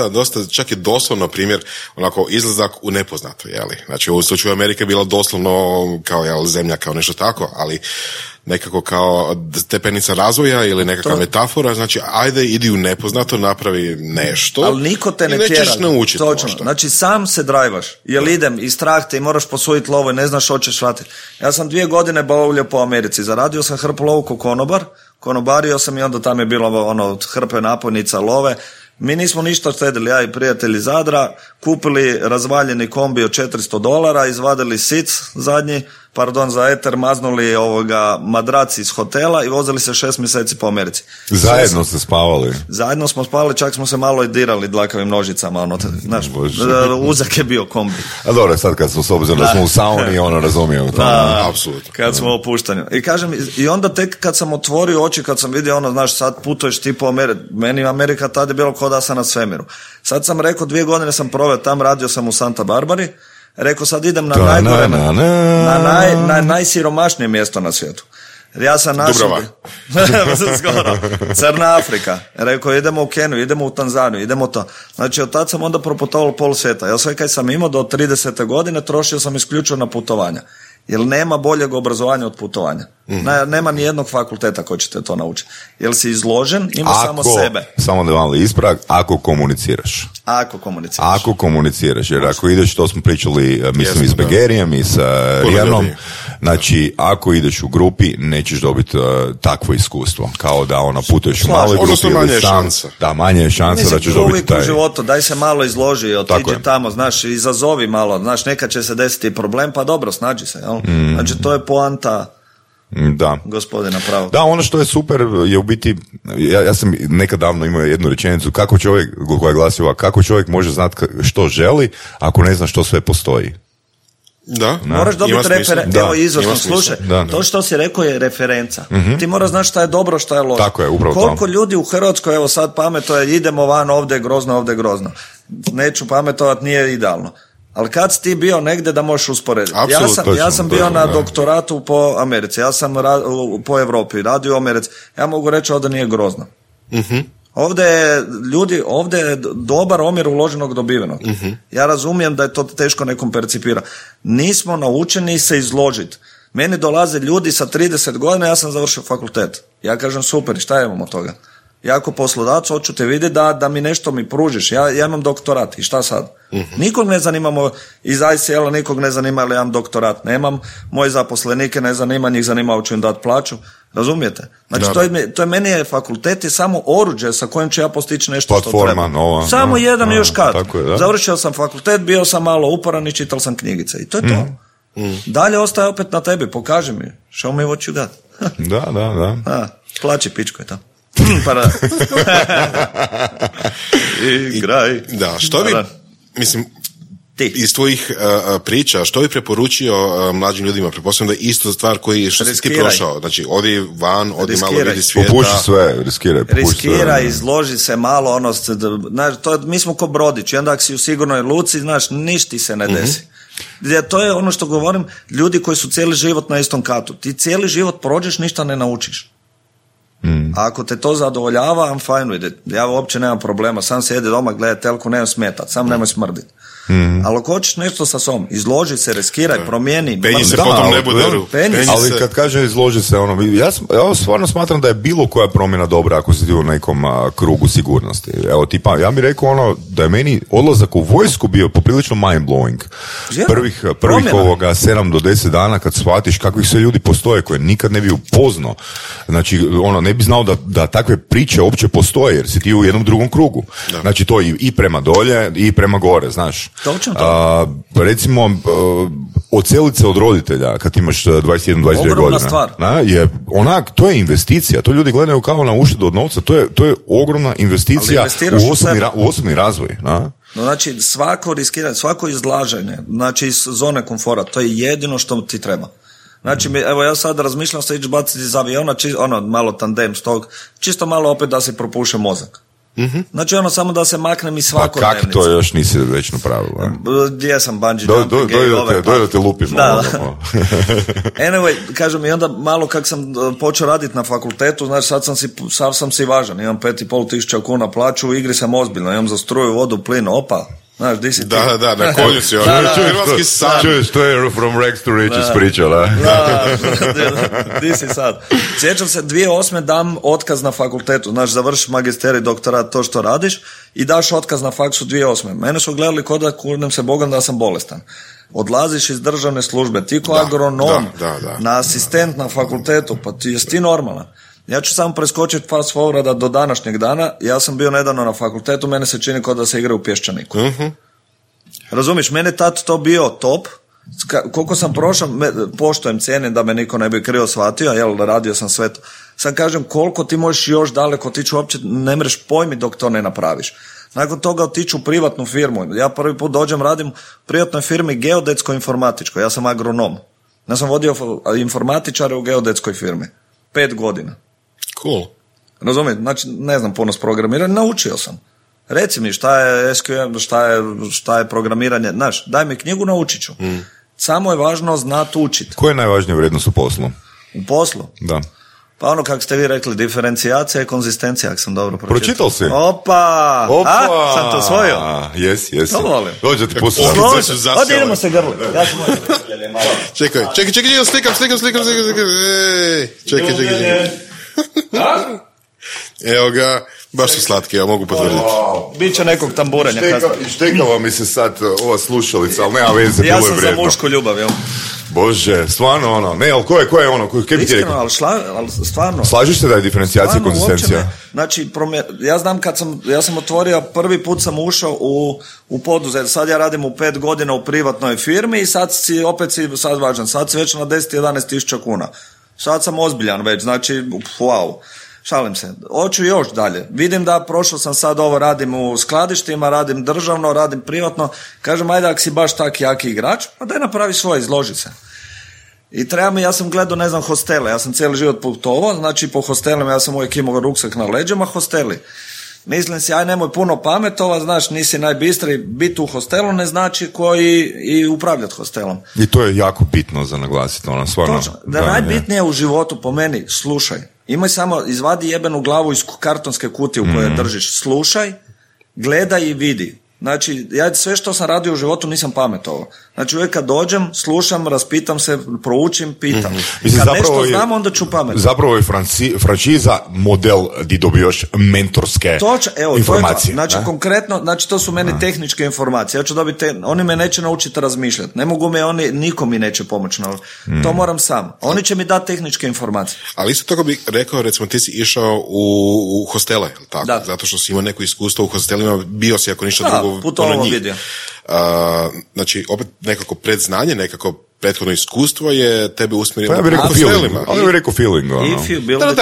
dosta, čak je doslovno primjer, onako izlazak u nepoznato, jeli? Znači u slučaju Amerike je bilo doslovno kao zemlja, kao nešto tako, ali nekako kao stepenica razvoja ili nekakva metafora, znači ajde idi u nepoznato, napravi nešto. Ali niko te ne tjera. Naučiti. Točno. Znači sam se drajvaš, jel idem i strah te i moraš posuditi lovo i ne znaš što ćeš vratiti. Ja sam 2 godine bavljao po Americi, zaradio sam hrpu lovu ko konobar, konobario sam i onda tam je bilo hrpe napojnica love. Mi nismo ništa štedili, ja i prijatelji Zadra, kupili razvaljeni kombi od $400, izvadili sic zadnji, za eter, maznuli madrac iz hotela i vozili se 6 mjeseci po Americi. Zajedno ste spavali? Zajedno smo spavali, čak smo se malo i dirali dlakavim nožicama, znaš, uzak je bio kombi. A dobro, sad kad smo s obzirom da smo u sauni, razumijem. Apsolutno. Kad smo opuštani. I kažem, i onda tek kad sam otvorio oči, kad sam vidio znaš, sad putuješ ti po Americi, meni Amerika tad je bilo kao da sam na svemiru. Sad sam rekao, 2 godine sam proveo tam, radio sam u Santa Barbari, rekao sad idem na najgore, na najsiromašnije mjesto na svijetu. Ja sam našao skoro Crna Afrika. Rekao idemo u Keniju, idemo u Tanzaniju, idemo to. Znači od tad sam onda proputovao pol svijeta. Ja sve kaj sam imao do 30. godine trošio sam isključivo na putovanja. Jer nema boljeg obrazovanja od putovanja. Nema ni jednog fakulteta koji će te to naučiti. Jer si izložen, imaš samo sebe. Samo da vam ispravak, ako komuniciraš. Ako komuniciraš, jer ako ideš, to smo pričali, mislim, i s Begerijem i s Rijanom, znači, ako ideš u grupi, nećeš dobiti takvo iskustvo. Kao da putuješ u maloj grupi ili sam. Da, manje je šansa da ćeš dobiti taj. U životu, daj se malo izloži, otiđi tamo, znaš, izazovi malo, znaš, nekad će se desiti problem, pa dobro, snađi se, jel? Znači, to je poanta. Da. Gospodina pravo. Da, ono što je super je u biti, ja sam nekad davno imao jednu rečenicu, kako čovjek, koja je glasila, kako čovjek može znati što želi ako ne zna što sve postoji. Da. Moraš dobiti referencu. Evo izvršno, slušaj, to što si rekao je referenca. Ti moraš znati šta je dobro, šta je loše. Tako je, upravo koliko ljudi u Hrvatskoj, evo sad pametuje, idemo van, ovdje je grozno. Neću pametovati, nije idealno. Ali kad si ti bio negdje da možeš usporediti? Ja sam bio na doktoratu po Americi, ja sam po Europi, radio u Americi. Ja mogu reći ovdje nije grozno. Ovdje je dobar omjer uloženog dobivenog. Ja razumijem da je to teško nekom percipira. Nismo naučeni se izložiti. Meni dolaze ljudi sa 30 godina, ja sam završio fakultet. Ja kažem super, šta imamo od toga? Ja ako poslodavac hoću te vidjeti da mi nešto mi pružiš. Ja imam doktorat i šta sad? Nikog ne zanimamo iz ICL-a, nikog ne zanima ili imam doktorat. Nemam, moji zaposlenike ne zanima, njih zanima hoću im dati plaću. Razumijete? Znači to je meni je fakultet je samo oruđe sa kojim ću ja postići nešto platforma, što treba. Nova, samo jedan još kad. Završio sam fakultet, bio sam malo uporan i čital sam knjigice. I to je to. Dalje ostaje opet na tebi, pokaži mi. Show me what you got. Da. Plaći pičko je to. Pa da. Igraj. Da, što bi, mislim, Iz tvojih priča, što bi preporučio mlađim ljudima? Pretpostavljam da je isto stvar što si ti prošao. Znači, odi van, odi malo vidi svijeta. Popuši sve, riskiraj, izloži se malo, mi smo ko brodić, i onda ako si u sigurnoj luci, znaš, ništa ti se ne desi. To je ono što govorim, ljudi koji su cijeli život na istom katu. Ti cijeli život prođeš, ništa ne naučiš. A ako te to zadovoljava, I'm fine with it. Ja uopće nemam problema, sam sjedi doma, gledaj telku, nemam smetat, sam nemoj smrditi. Ali ako hoćeš nešto sa sobom, izloži se, riskiraj, promijeni. Penji se potom ne buderu. Ali kad kaže izloži se, ja stvarno smatram da je bilo koja promjena dobra ako si u nekom krugu sigurnosti. Evo, tipa, ja bih rekao da je meni odlazak u vojsku bio poprilično mind-blowing. Prvih 7 do 10 dana kad shvatiš kakvih sve ljudi postoje koje nikad ne bi upoznao. Znači, ne bi znao da takve priče uopće postoje jer si ti u jednom drugom krugu. Da. Znači, to i prema dolje i prema gore, znaš. Recimo, odselit se od roditelja kad imaš 21-22 godina. Ogromna stvar. To je investicija. To ljudi gledaju kao na uštedu od novca. To je ogromna investicija u osobni razvoj. Znači, svako riskiranje, svako izlaženje, znači iz zone komfora, to je jedino što ti treba. Znači, evo ja sad razmišljam se ići baciti iz aviona, malo tandem s tog, čisto malo opet da se propuše mozak. Znači samo da se maknem iz svakodnevnice. Pa kak to još nisi već napravila? Gdje sam bungee jumping? Da te lupim. Anyway, kažem, i onda malo kak sam počeo raditi na fakultetu, znači sad sam si važan, imam 5.500 kuna plaću, u igri sam ozbiljno, imam za struju, vodu, plin, opa. Znaš, di si ti? Da, na konju si hrvatski san. Čuješ, to je from rags to riches priča, da? Di si sad? Sjećam se, 2008. dam otkaz na fakultetu, znaš, završiš magisterij, doktorat, to što radiš i daš otkaz na faksu 2008. Mene su gledali kod da kurnem se Bogom da sam bolestan. Odlaziš iz državne službe, ti ko agronom, na asistent na fakultetu, pa jesi ti normalan? Ja ću samo preskočiti fast forwarda do današnjeg dana. Ja sam bio nedavno na fakultetu, mene se čini kao da se igra u Pješčaniku. Razumiš, mene tad to bio top. Koliko sam prošao, poštujem, cijenim da me niko ne bi krivo shvatio, jel, radio sam sve to. Sad kažem, koliko ti možeš još daleko otići, uopće ne mreš pojmi dok to ne napraviš. Nakon toga otiću u privatnu firmu. Ja prvi put dođem, radim u privatnoj firmi geodetsko-informatičkoj. Ja sam agronom. Ja sam vodio informatičare u geodetskoj firmi. 5 godina. Cool. Razumijem, znači ne znam puno s programiranjem, naučio sam. Reci mi šta je SQL, šta je programiranje, znaš, daj mi knjigu, naučit ću. Samo je važno znati učiti. Koja je najvažnija vrijednost u poslu? U poslu? Da. Pa kako ste vi rekli, diferencijacija i konzistencija, ako sam dobro pročitao. Pročitao si? Opa! Sam to osvojio? Jes. To volim. Dođe ti pusti. Ovdje idemo se grli. Ja ću Čekaj, slikam. Čekaj. Evo ga, baš su slatki, ja mogu potvrditi. Biće nekog tamburanja. Štekava mi se sad ova slušalica, ali nema veze, bilo je vrijedno. Ja sam za mušku ljubav, jel? Bože, stvarno ono, ne, ali ko je ono, kaj bi ti rekao? Ali stvarno. Slažiš se da je diferencijacija i konzistencija? Znači, ja znam ja sam otvorio, prvi put sam ušao u poduzet, sad ja radim u 5 godina u privatnoj firmi i sad si važan, sad si već na 10-11 tisuća kuna. Sad sam ozbiljan već, znači, wow. Šalim se, hoću još dalje. Vidim da prošao sam sad ovo, radim u skladištima, radim državno, radim privatno. Kažem, ajde, ako si baš tak jaki igrač, pa daj napravi svoje, izloži se. I ja sam gledao, hostele, ja sam cijeli život putovao, znači po hostelima ja sam uvijek imao ruksak na leđima, hosteli. Mislim si, aj nemoj puno pametova, znaš, nisi najbistriji, biti u hostelu ne znači koji i upravljati hostelom. I to je jako bitno za naglasiti, ono, stvarno. Točno, da najbitnije u životu po meni, slušaj, imaj samo, izvadi jebenu glavu iz kartonske kutije u kojoj držiš, slušaj, gledaj i vidi. Znači, ja sve što sam radio u životu nisam pametovao. Znači, uvijek kad dođem, slušam, raspitam se, proučim, pitam. Mislim, kad nešto znam, onda ću pametovati. Zapravo je franšiza model di dobijaš mentorske informacije. Znači, konkretno, znači, to su meni tehničke informacije. Ja ću dobiti, oni me neće naučiti razmišljati. Ne mogu niko mi neće pomoći. To moram sam. Oni će mi dati tehničke informacije. Ali isto tako bih rekao, recimo, ti si išao u hostele, tako? Da. Zato što si imao neko iskustvo u hostelima, bio si ako ništa drugo. Putovalo vidio. Znači, opet nekako predznanje, nekako prethodno iskustvo je tebe usmjerilo pa ja bih rekao feeling. Ali bih rekao feeling.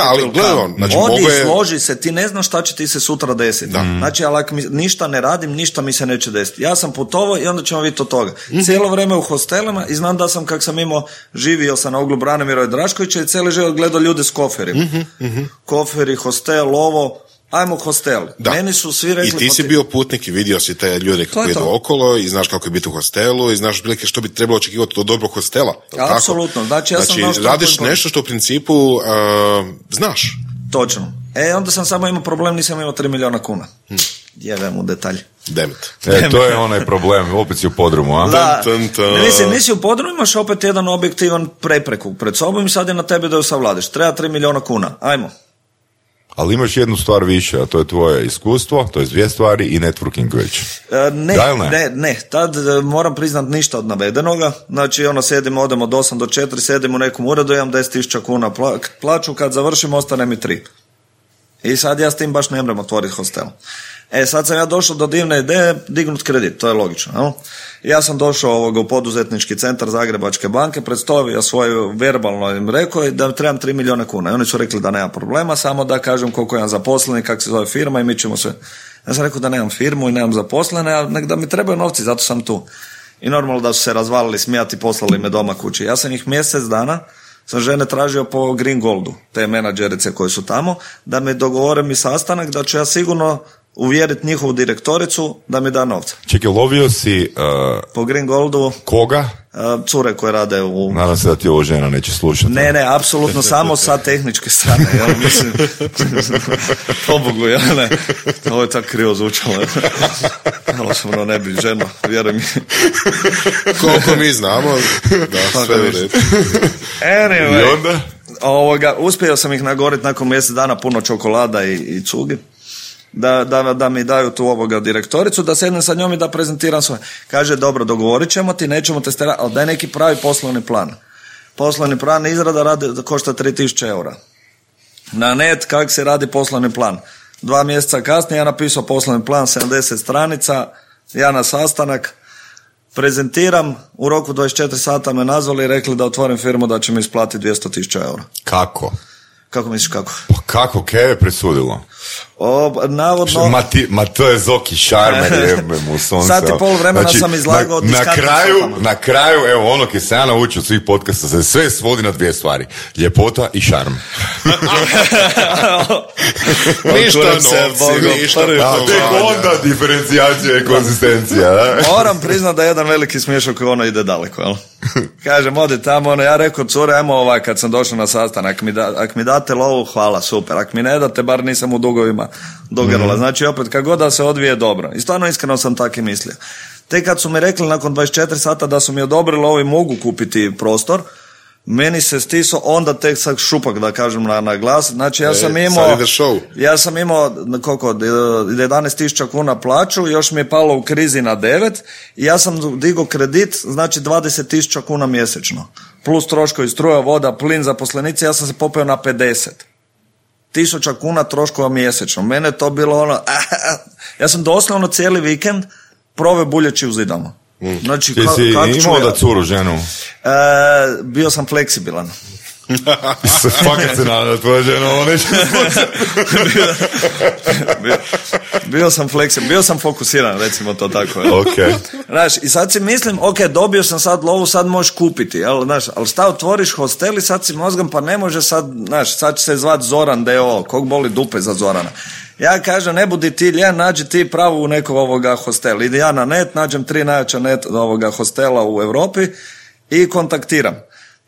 Ali gledaj, znači složi se, ti ne znaš šta će ti se sutra desiti. Znači, ali ako ništa ne radim, ništa mi se neće desiti. Ja sam putovao i onda ćemo vidjeti od toga. Cijelo vrijeme u hostelima i znam da sam, kak sam imao, živio sam na uglu Branimira Draškovića i cijeli život gledao ljude s koferima. Koferi, hostel, ovo... Ajmo hostel. Da. Meni su svi rekli... I ti si bio putnik i vidio si te ljude kako idu okolo i znaš kako je biti u hostelu i znaš prilike što bi trebalo očekivati od dobrog hostela. Apsolutno. Znači, radiš nešto što u principu znaš. Točno. Onda sam samo imao problem, nisam imao 3 milijuna kuna. Jevem u detalj. To je onaj problem, opet si u podrumu, a? Da, nisi u podrumu, imaš opet jedan objektivan prepreku pred sobom i sad je na tebe da ju savladiš. Treba 3 milijuna kuna. Ajmo. Ali imaš jednu stvar više, a to je tvoje iskustvo, to je 2 stvari i networking već. Ne, tad moram priznat ništa od navedenoga. Znači, sjedim, odem od 8 do 4, sjedim u nekom uredu, imam 10.000 kuna plaću, kad završim, ostane mi 3. I sad ja s tim baš ne mrem otvoriti hostel. Sad sam ja došao do divne ideje, dignut kredit, to je logično. No? Ja sam došao u poduzetnički centar Zagrebačke banke, predstavio svoju verbalno im rekao da trebam 3 milijuna kuna. I oni su rekli da nema problema, samo da kažem koliko imam zaposleni, kako se zove firma i mi ćemo se... Ja sam rekao da nemam firmu i nemam zaposlene, a nek da mi trebaju novci, zato sam tu. I normalno da su se razvalili, smijati, poslali me doma kući. Ja sam ih mjesec dana sam žene tražio po Green Goldu, te menadžerice koje su tamo, da mi dogovore mi sastanak, da ću ja sigurno uvjeriti njihovu direktoricu da mi da novca. Čekaj, lovio si... po Green Goldu... Koga? Cure koje rade u... Nadam se da ti ovo žena neće slušati. Ne, apsolutno samo sa tehničke strane. Ja mislim... Pobogu, ja ne. Ovo je tako krivo zvučalo. Malo sam ne bi žena, vjeruj mi. Koliko mi znamo, da, sve u redu. Anyway. I onda? Uspio sam ih nagoriti nakon mjesec dana, puno čokolada i cugi. Da mi daju tu direktoricu, da sednem sa njom i da prezentiram svoje. Kaže, dobro, dogovorit ćemo ti, nećemo te sterati, ali daj neki pravi poslovni plan. Poslovni plan izrada košta 3.000 eura. Na net, kak se radi poslovni plan. 2 mjeseca kasnije ja napisao poslovni plan, 70 stranica, ja na sastanak, prezentiram, u roku 24 sata me nazvali i rekli da otvorim firmu, da će mi isplatiti 200.000 eura. Kako? Kako misliš kako? Pa kako, kaj je presudilo? Navodno... Ma to je Zoki Šarmer, jebe mu sonce. Sat i pol vremena sam izlagao na kraju, evo ono kaj se ja naučio od svih podcasta, se sve svodi na 2 stvari. Ljepota i šarm. Ništa novci, ništa. Tek onda diferencijacija i konzistencija. Moram priznat da jedan veliki smiješak koji ide daleko, jel? Kažem, odi tamo, ja rekao, cure, ajmo kad sam došao na sastanak, ak mi date lovu, hvala, super, ak mi ne date, bar nisam u dugovima do grla. Znači, opet, kako god da se odvije, dobro. I stvarno iskreno sam tako i mislio. Te kad su mi rekli nakon 24 sata da su mi odobrili ovo i mogu kupiti prostor, meni se stiso onda tek sad šupak, da kažem na glas. Znači, ja sam imao koliko, 11.000 kuna plaću, još mi je palo u krizi na 9 i ja sam digao kredit, znači 20.000 kuna mjesečno. Plus troškovi struja, voda, plin, zaposlenici, ja sam se popeo na 50.000 kuna troškova mjesečno. Mene to bilo ja sam doslovno cijeli vikend proveo buljeći u zidama. Znači, ti si imao da curu ženu? Bio sam fleksibilan. Fakat se nada tvoja žena ovo neće. Bio sam fleksibilan, bio sam fokusiran, recimo to tako. Okay. Znaš, i sad si mislim, dobio sam sad lovu, sad možeš kupiti, ali šta otvoriš hostel i sad si mozgom, pa ne može sad, sad će se zvat Zoran D.O. Kog boli dupe za Zorana? Ja kažem, ne budi ti lijen, nađi ti pravu u nekog hostela. Ide ja na net, nađem 3 najjača net hostela u Europi i kontaktiram.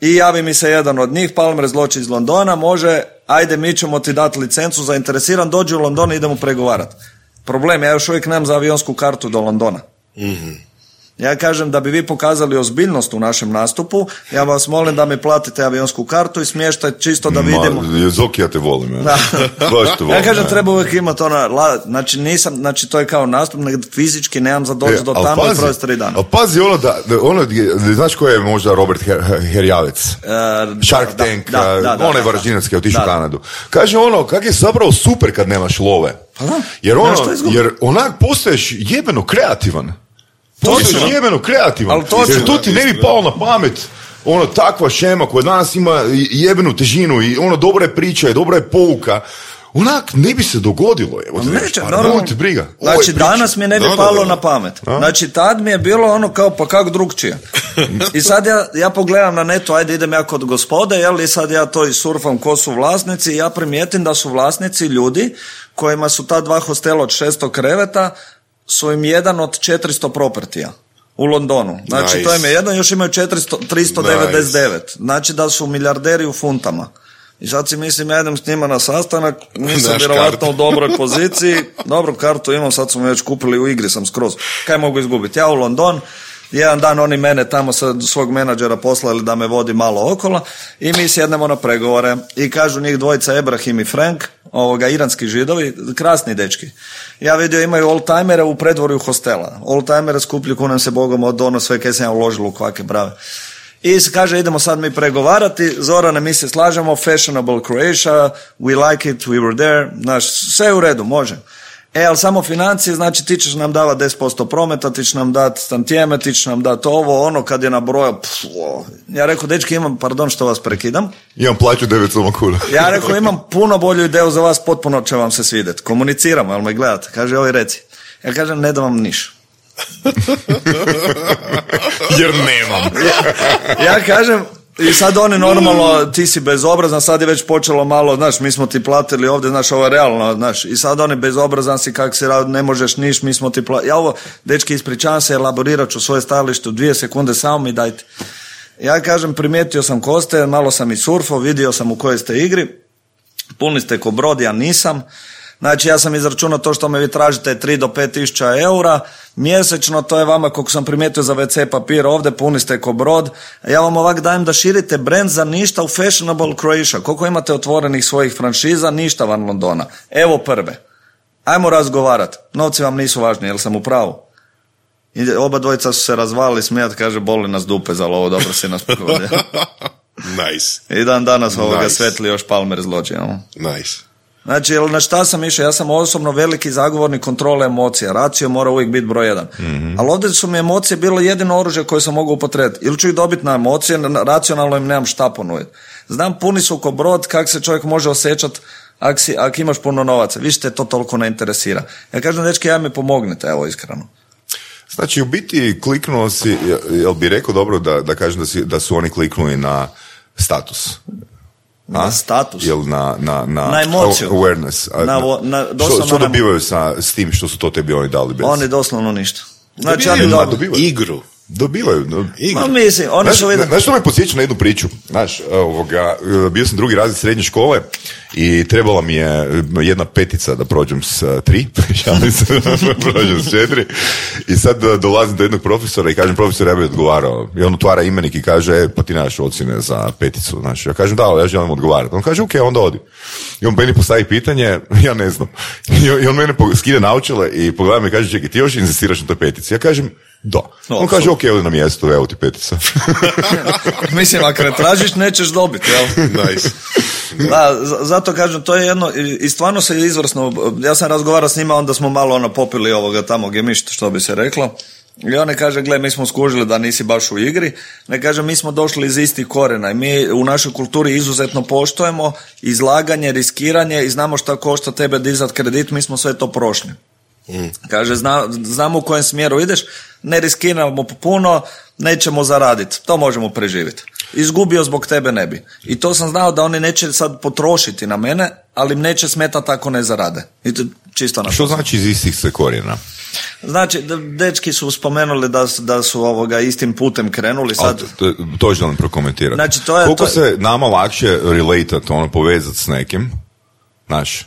I javi mi se jedan od njih, Palmer Zloči iz Londona, može, ajde mi ćemo ti dati licencu, zainteresiran, dođi u London i idemo pregovarati. Problem, ja još uvijek nemam za avionsku kartu do Londona. Mm-hmm. Ja kažem, da bi vi pokazali ozbiljnost u našem nastupu, ja vas molim da mi platite avionsku kartu i smještaj čisto da vidimo. Zoki, ja te volim. Ja kažem, treba uvijek imati znači to je kao nastup, fizički nemam za doći do tamo i provesti 3 dana. Ali pazi znaš ko je možda Robert Herjavec? Shark Tank, onaj Varaždinac je otišao u Kanadu. Kaže kak je zapravo super kad nemaš love. Jer onak postaješ jebeno kreativan. Postaješ jebeno kreativan, jer to ti ne bi palo na pamet ono, takva šema koja danas ima jebenu težinu i ono, dobra je priča i dobra je pouka, onak ne bi se dogodilo. Neće, normalno. Briga. Znači, danas mi ne bi palo na pamet. Znači, tad mi je bilo ono kao, pa kak drugčije. I sad ja pogledam na netu, ajde idem ja kod gospode, jel, i sad ja to i surfam ko su vlasnici, i ja primijetim da su vlasnici ljudi kojima su ta 2 hostela od 600 kreveta, su im jedan od 400 propertija u Londonu. Znači, to im je jedno, još imaju 399. Znači da su milijarderi u funtama. I sad si mislim, ja idem s njima na sastanak, nisam vjerovatno u dobroj poziciji, dobru kartu imam, sad smo već kupili, u igri sam skroz. Kaj mogu izgubiti? Ja u London, jedan dan oni mene tamo sa svog menadžera poslali da me vodi malo okolo i mi sjednemo na pregovore i kažu njih dvojica, Ebrahim i Frank, iranski židovi, krasni dečki. Ja vidio imaju oldtimere u predvorju hostela. Oldtimere skuplju kunem se Bogom od ono sve kaj sam ja uložilo u kvake brave. I se kaže, idemo sad mi pregovarati, Zorane, mi se slažemo, fashionable Croatia, we like it, we were there, znaš, sve u redu, može. Ali samo financije, znači ti ćeš nam davati 10% prometa, ti ćeš nam dati stantijeme, ti ćeš nam dati ovo, ono, kad je nabrojao, ja rekao, dečki, imam, pardon što vas prekidam. Imam plaću 900 kuna. Ja rekao, imam puno bolju ideju za vas, potpuno će vam se svidjeti. Komuniciramo, jel me gledate? Kaže, oj, reci. Ja kažem, ne da vam niš. Jer nemam. Ja kažem, i sad oni normalno, ti si bezobrazan, sad je već počelo malo, znaš, mi smo ti platili ovdje, znaš, ovo je realno, znaš, i sad oni bezobrazan si, kak se radi, ne možeš niš, mi smo ti platili. Ja ovo, dečki, ispričavam se, elaborirat ću svoje stajalište u 2 sekunde, samo mi dajte. Ja kažem, primijetio sam ko ste, malo sam i surfao, vidio sam u kojoj ste igri, puni ste ko brod, ja nisam. Znači, ja sam izračunao to što me vi tražite 3 do 5 tisuća eura mjesečno, to je vama, koliko sam primijetio za WC papir ovdje, puni ste ko brod. Ja vam ovak dajem da širite brand za ništa u fashionable Croatia. Koliko imate otvorenih svojih franšiza, ništa van Londona. Evo prve. Ajmo razgovarati. Novci vam nisu važni, jel sam u pravu? I oba dvojica su se razvalili smijat, kaže, boli nas dupe za lovo, dobro si nas pogodio. Nice. I dan danas svetli još Palmer zločin. Nice. Znači, na šta sam išao? Ja sam osobno veliki zagovornik kontrole emocija. Racio mora uvijek biti broj 1. Mm-hmm. Ali ovdje su mi emocije bilo jedino oružje koje sam mogao upotrijebiti. Ili ću ih dobiti na emocije, racionalno im nemam šta ponuditi. Znam, puni su ko brod, kak se čovjek može osjećati ako imaš puno novaca. Više te to toliko ne interesira. Ja kažem, dečki, ja mi pomognite, evo, iskreno. Znači, u biti kliknuo si, jel bi rekao dobro da kažem da su oni kliknuli na status? Na status? Jel na emociju. Awareness. Što dobivaju s tim što su to tebi oni dali bez? Oni doslovno ništa. Znači, dobivaju igru. Dobivaju. Mislim, oni su vidjeli. Znaš što me podsjeća na jednu priču? Znaš, bio sam 2. razred srednje škole i trebala mi je 1 petica da prođem s 3, šalim se da prođem s 4 i sad dolazim do jednog profesora i kažem, profesor, ja bih odgovarao. I on otvara imenik i kaže, pa ti nemaš ocjene za peticu. Znaš, ja kažem, da, ja želim odgovarati. On kaže, ok, onda odi. I on meni postavi pitanje, ja ne znam. I on mene skide naočale i pogleda me i kaže, čekaj, ti još insistiraš na toj petici? Ja kažem, da. On kaže, ok, odi na mjesto, evo ti petica. Mislim, ako ne tražiš, nećeš dobiti, jel? Nice. Da, zato kažem, to je jedno, i stvarno se izvrsno, ja sam razgovarao s njima, onda smo malo popili ovoga tamo gemišta, što bi se reklo. I on ne kaže, gle, mi smo skužili da nisi baš u igri, ne kaže, mi smo došli iz istih korena i mi u našoj kulturi izuzetno poštujemo izlaganje, riskiranje i znamo šta košta tebe dizat kredit, mi smo sve to prošli. Kaže, znamo u kojem smjeru ideš, ne riskiramo puno, nećemo zaraditi, to možemo preživjeti. Izgubio zbog tebe ne bi. I to sam znao da oni neće sad potrošiti na mene, ali im neće smetati ako ne zarade. I to čisto na što znači iz istih se korijena? Znači, dečki su spomenuli da su istim putem krenuli sad. To želim prokomentirati. Znači, koliko se nama lakše relatat, povezati s nekim, znaš,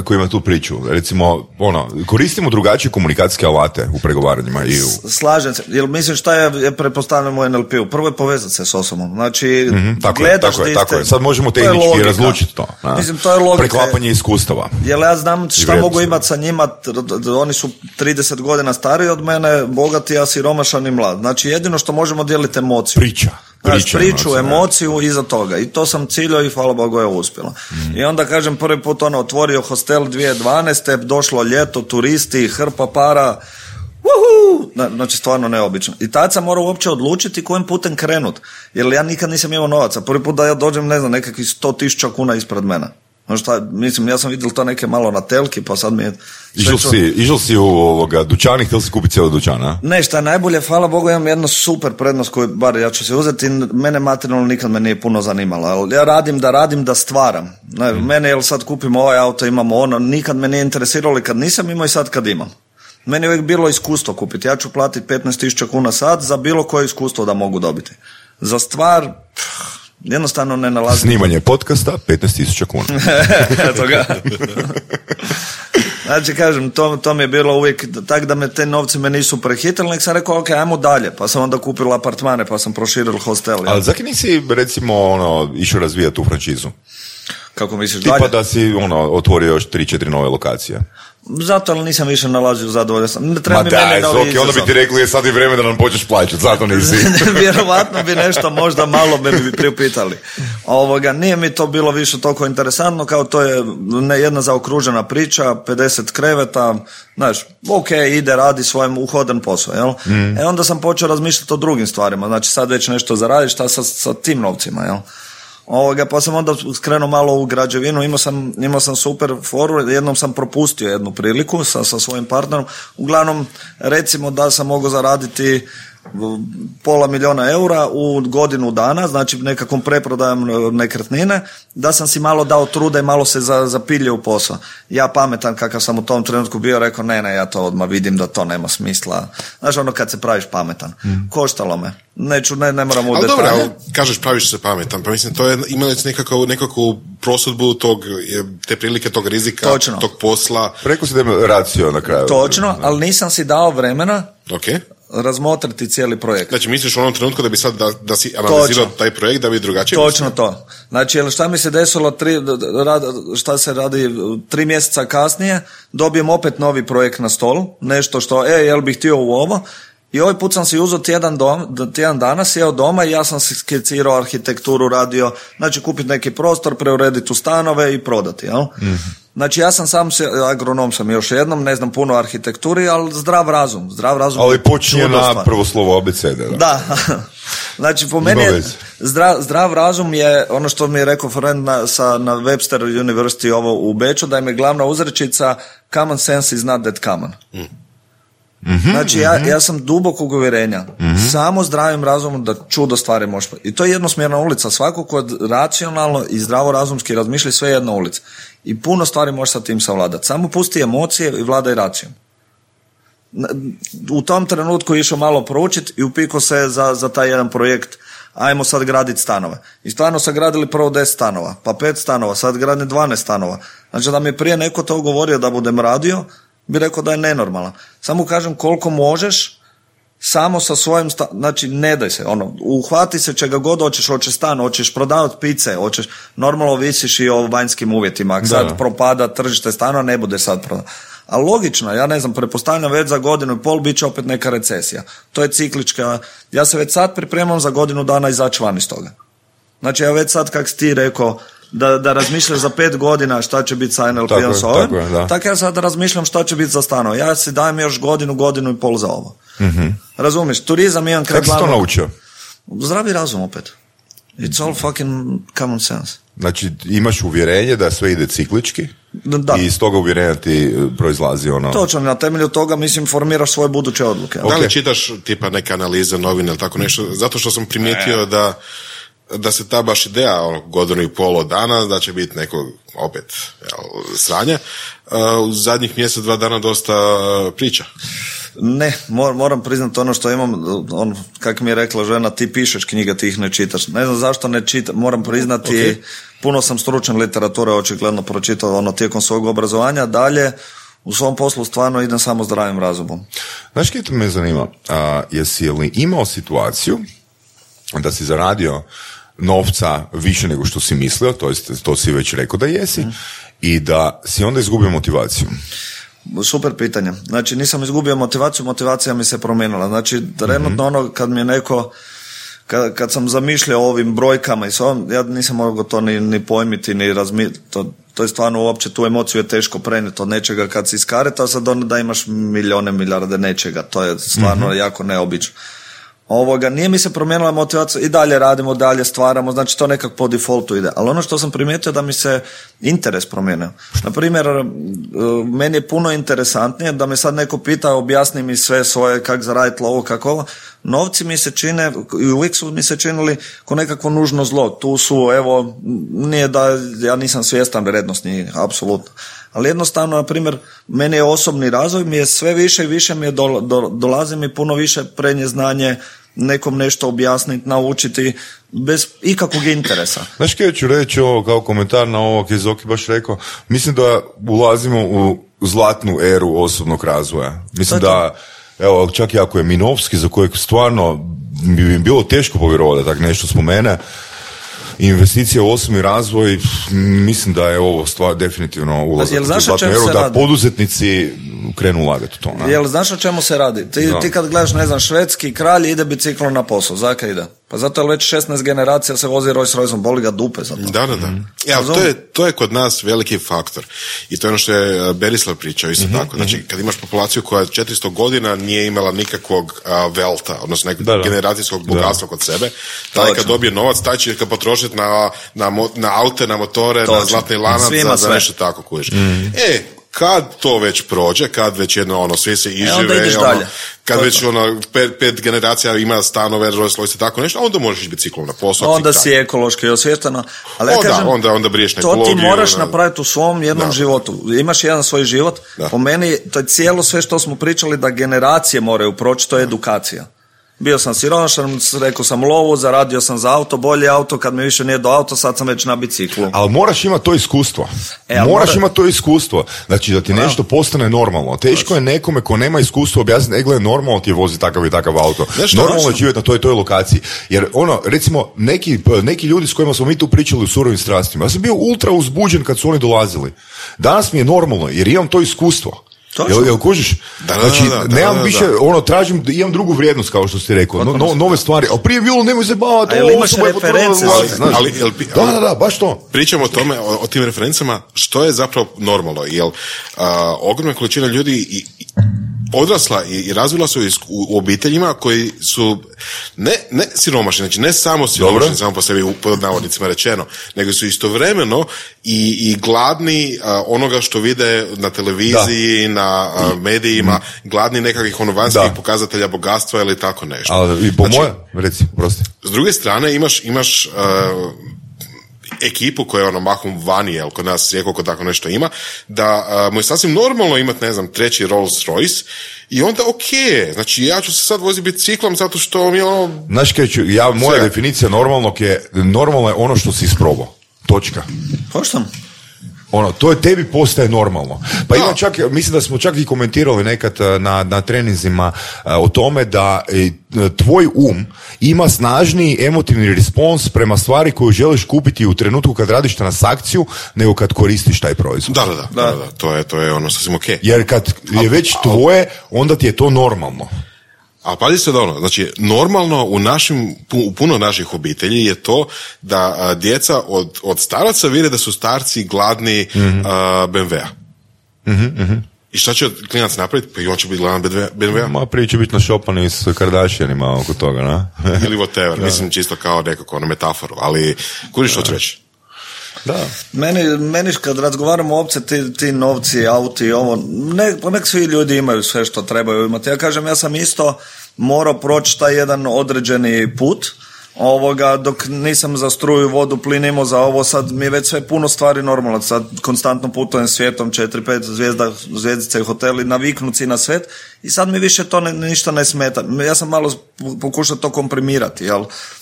koji ima tu priču. Recimo, koristimo drugačije komunikacijske alate u pregovaranjima. Slažem se. Jer mislim šta je pretpostavljam u NLP-u? Prvo je povezati se s osobom. Znači, gledaš tako je. Sad možemo tehnički razlučiti to. Mislim, to je logika. Preklapanje iskustava. Jer ja znam šta mogu imati sa njima. Oni su 30 godina stariji od mene, bogati, a siromašan i mlad. Znači, jedino što možemo dijeliti emociju. Priču, emociju iza toga. I to sam ciljao i hvala Bogu je uspjelo. I onda kažem, prvi put otvorio hostel 2012. Došlo ljeto, turisti, hrpa para, Znači stvarno neobično. I tad sam morao uopće odlučiti kojim putem krenut. Jer ja nikad nisam imao novaca. Prvi put da ja dođem, ne znam, nekakvih 100.000 kuna ispred mene. Mislim, ja sam vidio to neke malo na telki, pa sad mi je... Išao si u dućan i htjeli si kupiti cijeli dućan, a? Ne, šta je najbolje, hvala Bogu, imam jednu super prednost koju, bar ja ću se uzeti, mene materijalno nikad me nije puno zanimalo, ali ja radim da stvaram. Mene, jel sad kupimo ovaj auto, imamo ono, nikad me nije interesiralo kad nisam imao i sad kad imam. Meni je uvijek bilo iskustvo kupiti, ja ću platiti 15.000 kuna sad za bilo koje iskustvo da mogu dobiti. Za stvar... jednostavno ne nalazim. Snimanje podcasta 15.000 kuna. Eto ga. Znači, kažem, to mi je bilo uvijek tak da me te novce me nisu prehitili, nek sam rekao, ok, ajmo dalje, pa sam onda kupila apartmane, pa sam proširil hostel. Ali zakaj nisi, recimo, išao razvijati tu franšizu? Kako misliš tipa dalje? Da si otvorio još 3-4 nove lokacije. Zato, ali nisam više nalazio zadovoljan. Ma daj, Zoki, onda bi ti rekli je sad i vreme da nam počneš plaćati, zato nisi. Vjerovatno bi nešto možda malo bi priupitali. Nije mi to bilo više toliko interesantno, kao to je jedna zaokružena priča, 50 kreveta, znaš, ok, ide, radi svojem uhodan posao, jel? Onda sam počeo razmišljati o drugim stvarima, znači sad već nešto zaradiš, šta sa tim novcima, jel? Pa sam onda skrenuo malo u građevinu, imao sam super foru, jednom sam propustio jednu priliku sa svojim partnerom, uglavnom recimo da sam mogao zaraditi $500,000 eura u godinu dana, znači nekakvom preprodajom nekretnine, da sam si malo dao truda i malo se zapilio u posao. Ja pametan kakav sam u tom trenutku bio, rekao ne, ja to odmah vidim da to nema smisla. Znaš, kad se praviš pametan. Koštalo me. Ne moram u detalje. Ali dobro, kažeš praviš se pametan, pa mislim to je imali nekakvu prosudbu te prilike, tog rizika, točno. Tog posla. Preko si da racio na kraju. Točno, ali nisam si dao vremena razmotriti cijeli projekt. Znači misliš u onom trenutku da bi sad da si analizirao taj projekt da bi drugačije točno mislio? To. Znači šta mi se desilo šta se radi 3 mjeseca kasnije, dobijem opet novi projekt na stolu, nešto što jel bih htio u ovo, i ovaj put sam si uzeo tjedan dana, sjeo doma i ja sam si skicirao arhitekturu, radio, znači kupiti neki prostor, preurediti u stanove i prodati, jel? Znači ja sam agronom sam još jednom, ne znam puno o arhitekturi, ali zdrav razum. Ali počinje na prvo slovo abecede. Da. Znači po meni je zdrav razum je ono što mi je rekao friend na Webster University u Beču, da im je glavna uzrečica common sense is not that common. Znači ja sam dubokog uvjerenja, samo zdravim razumom da čudo stvari može. I to je jednosmjerna ulica, svako ko racionalno i zdravorazumski razmišlja, sve jedna ulica. I puno stvari može sa tim savladati. Samo pusti emocije i vladaj racijom. U tom trenutku išao malo proučiti i upiko se za taj jedan projekt, ajmo sad graditi stanove. I stvarno sam gradili prvo 10 stanova, pa 5 stanova, sad gradim 12 stanova. Znači da mi prije neko to govorio da budem radio, bi rekao da je nenormalan. Samo kažem koliko možeš, samo sa svojim znači ne daj se, uhvati se čega god hoćeš stan, hoćeš prodavati pice, hoćeš, normalno visiš i o vanjskim uvjetima, ako sad propada tržište stana, ne bude sad prodati. A logično, ja ne znam, pretpostavljam već za 1.5 godina bit će opet neka recesija. To je ciklička, ja se već sad pripremam za 1 godinu dana izaći van iz toga. Znači ja već sad, kak si ti rekao, da razmišljaš za 5 godina šta će biti sa NLP-om s ovim, tako ja sad razmišljam šta će biti za stanove. Ja si dajem još godinu i pol za ovo. Razumiješ, turizam imam kraj glavnog. Kako si to naučio? Zdravi razum opet. It's all fucking common sense. Znači imaš uvjerenje da sve ide ciklički i iz toga uvjerenja ti proizlazi Točno, na temelju toga formiraš svoje buduće odluke. Da li čitaš tipa neke analize, novine ili tako nešto? Zato što sam primijetio da se ta baš ideja 1.5 godina dana da će biti neko opet sranje, u zadnjih mjesec, 2 dana dosta priča. Ne, moram priznati ono što imam, kako mi je rekla žena, ti pišeš knjige, ti ih ne čitaš. Ne znam zašto ne čitam, moram priznati, puno sam stručan literature očigledno pročitao tijekom svog obrazovanja, dalje u svom poslu stvarno idem samo zdravim razumom. Znaš kaj to me zanima, jesi li imao situaciju da si zaradio novca više nego što si mislio, to si već rekao da jesi, i da si onda izgubio motivaciju? Super pitanje. Znači nisam izgubio motivaciju, motivacija mi se promijenila. Znači trenutno kad mi je neko, kad sam zamišljao o ovim brojkama i s ovom, ja nisam mogao to ni pojmiti, ni razmišljati. To je stvarno uopće, tu emociju je teško prenijeti od nečega kad si iskareta, a sad da imaš milijarde nečega, to je stvarno jako neobično. Nije mi se promijenila motivacija, i dalje radimo, dalje stvaramo, znači to nekak po defaultu ide. Ali ono što sam primijetio da mi se interes promijenio. Naprimjer, meni je puno interesantnije da me sad neko pita, objasni mi sve svoje, kak zaraditi lovo, kako ovo. Novci mi se čine, i uvijek su mi se činili ko nekakvo nužno zlo. Tu su, evo, nije da ja nisam svjestan vrednost njih, apsolutno. Ali jednostavno, na primjer, meni je osobni razvoj, mi je sve više i više mi je dolazi mi puno više prednje znanje, nekom nešto objasniti, naučiti, bez ikakvog interesa. Znaš kaj ću reći ovo kao komentar na ovo kaj je Zoki baš rekao? Mislim da ulazimo u zlatnu eru osobnog razvoja. Mislim da, evo, čak i ako je Minovski, za kojeg stvarno bi mi bilo teško povjerovati da tak nešto spomene, investicija u osobni razvoj, mislim da je ovo stvar definitivno ulazak u zlatnu eru, da poduzetnici krenu ulagati u to. Ne? Jel znaš o čemu se radi? Ti kad gledaš, ne znam, švedski kralj ide biciklom na posao, zaka ide? Pa zato je već 16 generacija se vozi Rolls Royceom, boli ga dupe za to. Da. Ja, to je kod nas veliki faktor. I to je ono što je Berislav pričao isto tako. Znači, kad imaš populaciju koja 400 godina nije imala nikakvog velta, odnosno nekog generacijskog bogatstva kod sebe, taj kad dobije novac, taj će ga potrošiti na aute, na motore, na zlatni lanac, za nešto tako kužiš. Kad to već prođe, kad već jedno svi se izžive, kad već 5 generacija ima stanove, Rolls Royce i tako nešto, onda možeš ići biciklom na posao. Onda si ekološki osvješteno. Ali onda briješ nekologiju. To ti moraš napraviti u svom jednom životu. Imaš jedan svoj život. Po meni, to je cijelo sve što smo pričali da generacije moraju proći, to je edukacija. Bio sam siromašan, rekao sam lovu, zaradio sam za auto, bolje auto, kad mi više nije do auto, sad sam već na biciklu. Ali moraš imati to iskustvo. Imati to iskustvo. Znači da ti nešto postane normalno. Teško je nekome ko nema iskustva objasniti, gledaj, normalno ti je vozi takav i takav auto. Normalno je živjeti na toj lokaciji. Jer recimo, neki ljudi s kojima smo mi tu pričali u surovim strastima, ja sam bio ultra uzbuđen kad su oni dolazili. Danas mi je normalno, jer imam to iskustvo. Jel kužiš? Znači, nemam više, tražim, imam drugu vrijednost, kao što si rekao, nove stvari, ali prije bilo nemoj se bavati, imaš reference, da, baš to. Pričamo o tome, o tim referencama, što je zapravo normalno, jer ogromna količina ljudi odrasla i razvila su u obiteljima koji su ne siromašni, znači ne samo siromašni, samo po sebi pod navodnicima rečeno, nego su istovremeno i gladni onoga što vide na televiziji, na medijima, gladni nekakvih vanjskih pokazatelja bogatstva ili tako nešto. Ali i po reci, prosti. S druge strane imaš ekipu koja je mahom vani, jel kod nas rijetko tako nešto ima, da mu je sasvim normalno imati, ne znam, treći Rolls Royce i onda znači ja ću se sad voziti biciklom zato što mi je Znaš kaj ću, moja definicija normalno je ono što si isprobao. Točka. Pošto? To je tebi postaje normalno. Pa ima čak, mislim da smo čak i komentirali nekad na treninzima o tome da tvoj ima snažniji emotivni respons prema stvari koju želiš kupiti u trenutku kad radiš transakciju nego kad koristiš taj proizvod. Da. To je ono sasvim okej. Jer kad je već tvoje, onda ti je to normalno. Ali pazi se da znači normalno u puno naših obitelji je to da djeca od staraca vide da su starci gladni BMW-a. I šta će klinac napraviti? Pa i on će biti gladan BMW-a. Prije će biti našopani s Kardashianima oko toga, na? Ili whatever, mislim čisto kao nekako metaforu, ali kuriš što ću reći? Da. Meni kad razgovaramo uopće ti novci, auti, nek svi ljudi imaju sve što trebaju imati. Ja kažem, ja sam isto morao proći taj jedan određeni put, dok nisam za struju, vodu, plin imao za ovo, sad mi je već sve puno stvari normalno, sad konstantno putujem svijetom, 4-5 zvjezdice i hoteli, naviknuci na svijet i sad mi više to ništa ne smeta. Ja sam malo pokušao to komprimirati,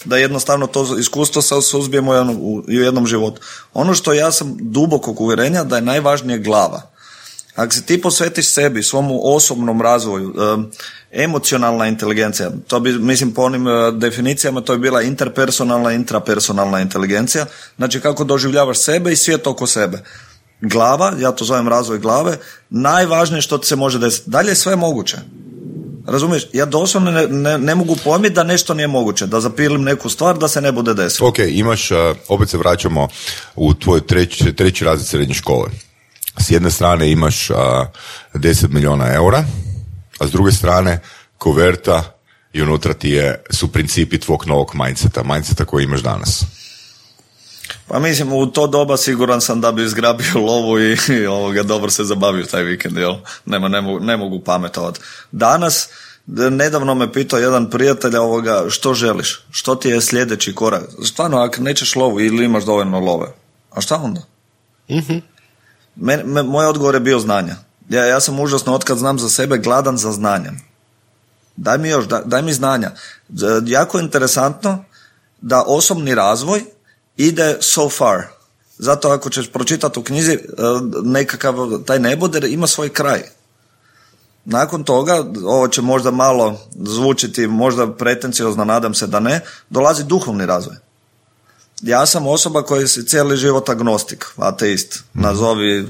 da jednostavno to iskustvo se suzbijemo u jednom životu. Ono što ja sam dubokog uvjerenja da je najvažnije glava. Ako se ti posvetiš sebi, svom osobnom razvoju, emocionalna inteligencija, to bi, mislim, po onim definicijama, to je bila interpersonalna, intrapersonalna inteligencija, znači kako doživljavaš sebe i svijet oko sebe. Glava, ja to zovem razvoj glave, najvažnije što ti se može desiti. Dalje je sve moguće. Razumiješ? Ja doslovno ne mogu pojmiti da nešto nije moguće, da zapilim neku stvar da se ne bude desilo. Ok, imaš, opet se vraćamo u tvoj treći razred srednje škole. S jedne strane imaš 10 milijuna eura, a s druge strane koverta i unutra su principi tvog novog mindseta koji imaš danas. Pa mislim, u to doba siguran sam da bi izgrabio lovu i dobro se zabavio taj vikend, jel? Ne mogu pametovati. Danas, nedavno me pitao jedan prijatelj što želiš, što ti je sljedeći korak. Stvarno, ako nećeš lovu ili imaš dovoljno love, a šta onda? Mm-hmm. Moj odgovor je bio znanja. Ja sam užasno, otkad znam za sebe, gladan za znanjem. Daj mi znanja. Jako je interesantno da osobni razvoj ide so far. Zato ako ćeš pročitati u knjizi nekakav taj neboder ima svoj kraj. Nakon toga, ovo će možda malo zvučiti, možda pretenciozno, nadam se da ne, dolazi duhovni razvoj. Ja sam osoba koja je cijeli život agnostik, ateist, nazovi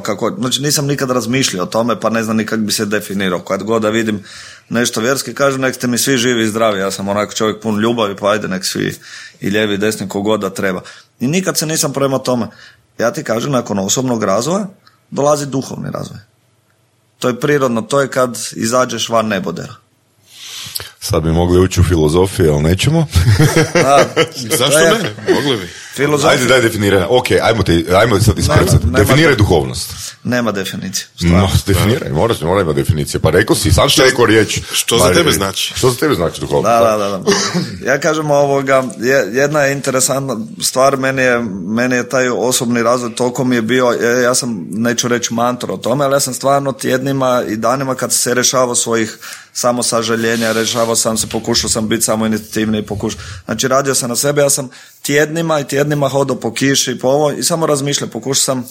kako, znači nisam nikad razmišljao o tome, pa ne znam nikak bi se definirao. Kad god da vidim nešto vjerski, kažem nek ste mi svi živi i zdravi, ja sam onako čovjek pun ljubavi, pa ajde nek svi i lijevi i desni kogod da treba. I nikad se nisam prema tome. Ja ti kažem, nakon osobnog razvoja dolazi duhovni razvoj. To je prirodno, to je kad izađeš van nebodera. Sad bi mogli ući u filozofiju, ali nećemo. Zašto ne? Mogli bi. Ajde, daj definiranje. Ok, ajmo sad iskrcati. Definiraj duhovnost. Nema definicije. No, definiraj, mora ima definicije. Pa rekao si, sam što rekao riječ. Što za tebe znači? Što za tebe znači duhovnost? Da. Ja kažem jedna je interesantna stvar, meni je taj osobni razvoj toliko mi je bio, ja sam, neću reći mantra o tome, ali ja sam stvarno tjednima i danima kad se rješavao svojih samo sažaljenja, rješavao sam se, pokušao sam biti samo inicijativni, znači radio sam na sebe, ja sam tjednima hodao po kiši, po ovo i samo razmišljao, pokušao sam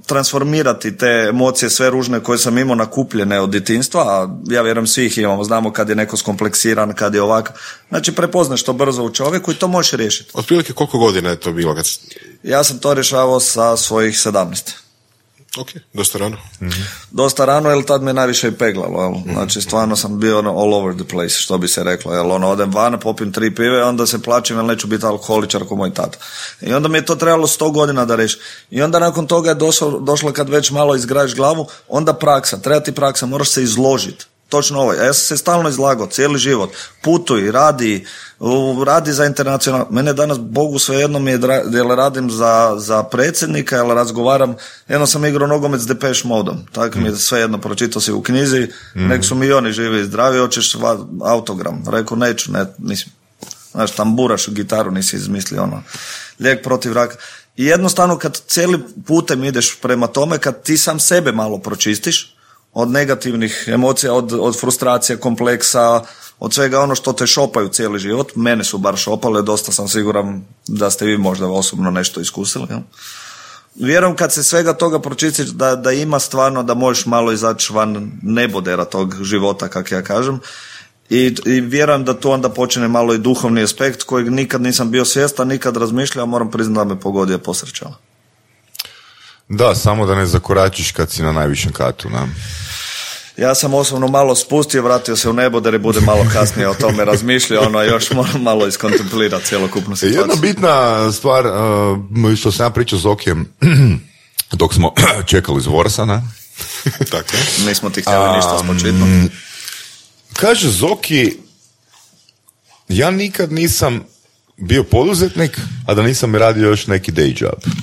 transformirati te emocije sve ružne koje sam imao nakupljene od djetinjstva, a ja vjerujem svi ih imamo, znamo kad je neko skompleksiran, kad je ovako, znači prepoznaš to brzo u čovjeku i to možeš riješiti. Otprilike koliko godina je to bilo? Ja sam to rješavao sa svojih 17. Ok, dosta rano. Mm-hmm. Dosta rano, jer tad me najviše i peglalo, jel? Znači stvarno sam bio all over the place, što bi se reklo, jel? Odem van, popim 3 pive, onda se plačim, jer neću biti alkoholičar ko moj tata. I onda mi je to trebalo 100 godina da reši. I onda nakon toga je došlo kad već malo izgrajiš glavu, onda praksa, treba ti praksa, moraš se izložiti. Točno ovo, ja sam se stalno izlagao, cijeli život, putuj, radi za internacional. Mene danas, Bogu svejedno mi je, jel radim za predsjednika, jel razgovaram, jedno sam igrao nogomet s Depeche Modom, tako mi je svejedno, pročitao si u knjizi, nek su mi oni živi i zdravi, hoćeš autogram, rekao neću, nisam, znaš, tamburaš gitaru, nisi izmislio lijek protiv raka. I jednostavno kad cijeli putem ideš prema tome, kad ti sam sebe malo pročistiš, od negativnih emocija, od frustracije, kompleksa, od svega ono što te šopaju cijeli život. Mene su bar šopale, dosta sam siguran da ste vi možda osobno nešto iskusili. Ja? Vjerujem kad se svega toga pročistiš da ima stvarno da možeš malo izaći van nebodera tog života, kako ja kažem. I vjerujem da tu onda počne malo i duhovni aspekt kojeg nikad nisam bio svjestan, nikad razmišljao, moram priznati da me pogodio posrećala. Da, samo da ne zakoračiš kad si na najvišem katu, ne? Ja sam osobno malo spustio, vratio se u neboder i bude malo kasnije o tome razmišljao, još moram malo iskontemplirati cjelokupnu situaciju. Jedna bitna stvar, što sam ja pričao s Okijem, dok smo čekali iz Vorsa, ne? Tako. Nismo ti htjeli ništa spočitno. Kaže Zoki, ja nikad nisam bio poduzetnik, a da nisam radio još neki day job.